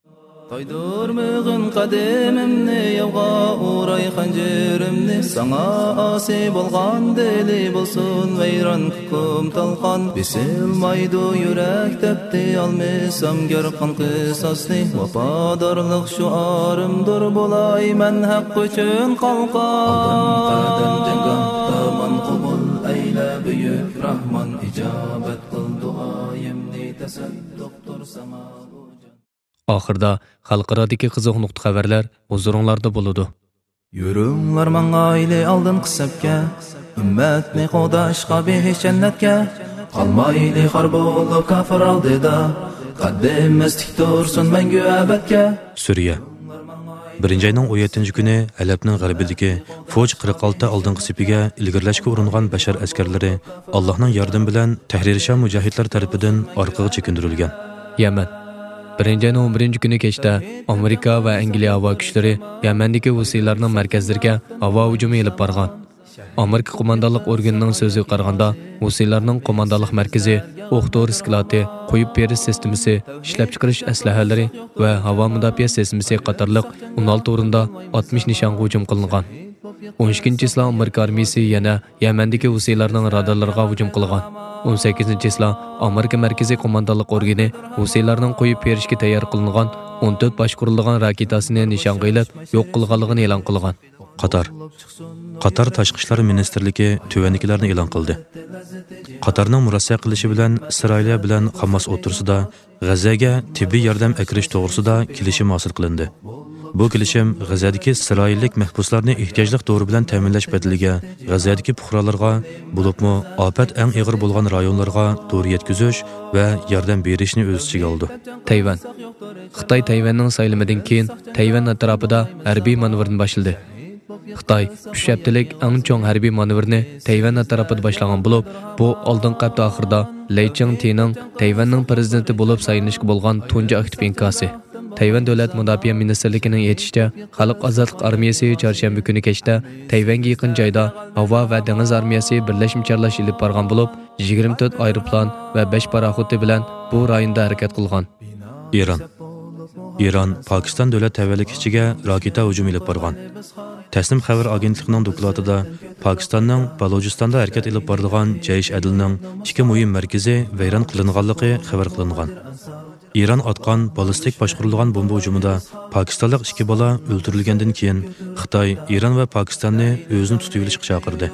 تايدۇرمىغىن قەدىمىمنى ياۋغا ئوراي خەنجىرىمنى، ساڭا ئاسىي بولغان دىلى بولسۇن ۋەيران، كۇكۇم تالقان بېسىلمايدۇ يۈرەك، دەپتى ئالمىسام گەر قان قىساسنى، ۋاپادارلىق شوئارىمدۇر بولاي مەن ھەق ئۈچۈن قالقان. ئالدىن قەدەم جەڭگاھدا ماڭا قوبۇل ئەيلە بۈيۈك راھمان، ئىجابەت قىل دۇئايىمنى، تەسەددۇقتۇر ساڭا بۇ جان. ئاخىردا خەلقئارادىكى قىزىق نۇقتا خەۋەرلەر ھۇزۇرۇڭلاردا بولىدۇ. يۈرۈڭلار ماڭايلى ئالدىنقى سەپكە، ئۈممەتنى قوغداشقا بېھىشت جەننەتكە. قالمايلى خار بولۇپ كاپىر ئالدىدا، قەددىمىز تىك تۇرسۇن مەڭگۈ ئەبەدكە. سۈرىيە. بىرىنچى ئاينىڭ ئون يەتتىنچى كۈنى ھەلەبنىڭ غەربىدىكى فوج قىرىق ئالتە ئالدىنقى سېپىگە ئىلگىرىلەشكە ئۇرۇنغان بەشار ئەسكەرلىرى ئاللاھنىڭ ياردىمى بىلەن تەھرىر شام مۇجاھىدلىرى تەرىپىدىن ئارقىغا چېكىندۈرۈلگەن. يەمەن. بىرىنچى ئاينىڭ ئون بىرىنچى كۈنى كەچتە ئامېرىكا ۋە ئەنگلىيە ھاۋا كۈچلىرى يەمەندىكى ھۇسىيلارنىڭ مەركەزلىرىگە ھاۋا ھۇجۇمى ئېلىپ بارغان. ئامېرىكا قوماندانلىق ئورگىنىنىڭ سۆزىگە قارىغاندا، ھۇسىيلارنىڭ قوماندانلىق مەركىزى، ئوق دورا سكلاتى، قويۇپ بېرىش سىستېمىسى، ئىشلەپچىقىرىش ئەسلىھەلىرى ۋە ھاۋا مۇداپىئە سىستېمىسى قاتارلىق ئون ئالتە ئورۇندا ئاتمىش نىشانغا ھۇجۇم قىلىنغان. ئون ئىككىنچى چىسلا ئامېرىكا ئارمىيىسى يەنە يەمەندىكى ھۇسىيلارنىڭ رادارلىرىغا ھۇجۇم قىلغان. ئون سەككىزىنچى چىسلا ئامېرىكا مەركىزىي قوماندانلىق ئورگىنى ھۇسىيلارنىڭ قويۇپ بېرىشكە تەييار قىلىنغان ئون تۆت باشقۇرۇلىدىغان راكېتاسىنى نىشانغا ئېلىپ يوق قىلغانلىقىنى ئېلان قىلغان. قاتار. قاتار تاشقى ئىشلار مىنىستىرلىكى تۆۋەندىكىلەرنى ئېلان قىلدى. قاتارنىڭ مۇرەسسە قىلىشى بىلەن ئىسرائىلىيە بىلەن خاماس ئوتتۇرىسىدا غەززەگە تېببىي ياردەم ئەكىرىش توغرىسىدا كېلىشىم ھاسىل قىلىندى. بۇ كېلىشىم غەززەدىكى ئىسرائىللىك مەھبۇسلارنى ئېھتىياجلىق دورا بىلەن تەمىنلەش بەدىلىگە غەززەدىكى پۇقرالارغا، بولۇپمۇ ئاپەت ئەڭ ئېغىر بولغان رايونلارغا دورا يەتكۈزۈش ۋە ياردەم بېرىشنى ئۆز ئىچىگە ئالىدۇ. تەيۋەن. خىتاي تەيۋەننىڭ سايلىمىدىن كېيىن تەيۋەن ئەتراپىدا ھەربىي مانېۋىرنى باشلىدى. خىتاي ئۈچ ھەپتىلىك ئەڭ چوڭ ھەربىي مانېۋىرنى تەيۋەن ئەتراپىدا باشلىغان بولۇپ، بۇ ئالدىنقى ھەپتە ئاخىرىدا لەي چىڭتىنىڭ تەيۋەننىڭ پىرېزىدېنتى بولۇپ سايلىنىشقا بولغان تۇنجى ئاكتىپ ئىنكاسى. تەيۋەن دۆلەت مۇداپىئە مىنىستىرلىكىنىڭ ئېيتىشىچە، خەلق ئازادلىق ئارمىيەسى چارشەنبە كۈنى كەچتە تەيۋەنگە يېقىن جايدا ھاۋا ۋە دېڭىز ئارمىيەسى بىرلەشمە چارلاش ئېلىپ بارغان بولۇپ، يىگىرمە تۆت ئايروپىلان ۋە بەش پاراخوتى بىلەن بۇ رايوندا ھەرىكەت قىلغان. ئىران. ئىران پاكىستان دۆلەت تەۋەلىكى ئىچىگە راكېتا ھۇجۇمى ئېلىپ بارغان. تەسنىم خەۋەر ئاگېنتلىقىنىڭ دوكلاتىدا پاكىستاننىڭ بالۇچىستاندا ھەرىكەت ئېلىپ بارىدىغان جەيش ئەدلىنىڭ ئىككى مۇھىم مەركىزى ۋەيران قىلىنغانلىقى خەۋەر قىلىنغان. ئىران ئاتقان بالىستىك باشقۇرۇلغان بومبا ھۇجۇمىدا پاكىستانلىق ئىككى بالا ئۆلتۈرۈلگەندىن كېيىن، خىتاي ئىران ۋە پاكىستاننى ئۆزىنى تۇتۇۋېلىشقا چاقىردى.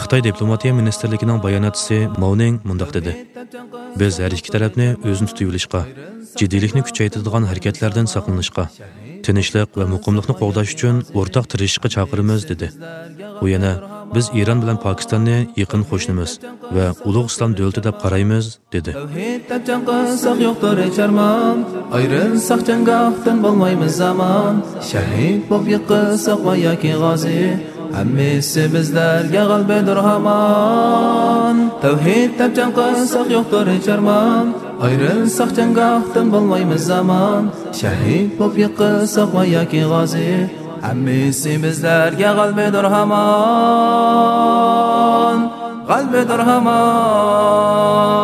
خىتاي دىپلوماتىيە مىنىستىرلىكىنىڭ باياناتچىسى ماۋ نىڭ مۇنداق دېدى: «بىز ھەر ئىككى تەرەپنى ئۆزىنى تۇتۇۋېلىشقا، جىددىيلىكنى كۈچەيتىدىغان ھەرىكەتلەردىن ساقلىنىشقا، تىنچلىق ۋە مۇقىملىقنى قوغداش ئۈچۈن ئورتاق تىرىشىشقا چاقىرىمىز» دېدى. ئۇ يەنە: «بىز ئىران بىلەن پاكىستاننى يېقىن قوشنىمىز ۋە ئۇلۇغ ئىسلام دۆلىتى دەپ قارايمىز» دېدى. تەۋھىد دەپ جەڭ قىلساق يوقتۇر ھېچ ئارمان، ئايرىلساق جەڭگاھتىن بولمايمىز ئامان، شەھىد بولۇپ يىقىلساق ۋە ياكى غازى، ھەممىسى بىزلەرگە غەلىبىدۇر ھامان. تەۋھىد دەپ جەڭ قىلساق يوقتۇر ھېچ ئارمان، ئايرىلساق جەڭگاھتىن بولمايمىز ئامان، شەھىد بولۇپ يىقىلساق ۋە ياكى غازى، ھەممىسى بىزلەرگە غەلىبىدۇر ھامان، غەلىبىدۇر ھامان.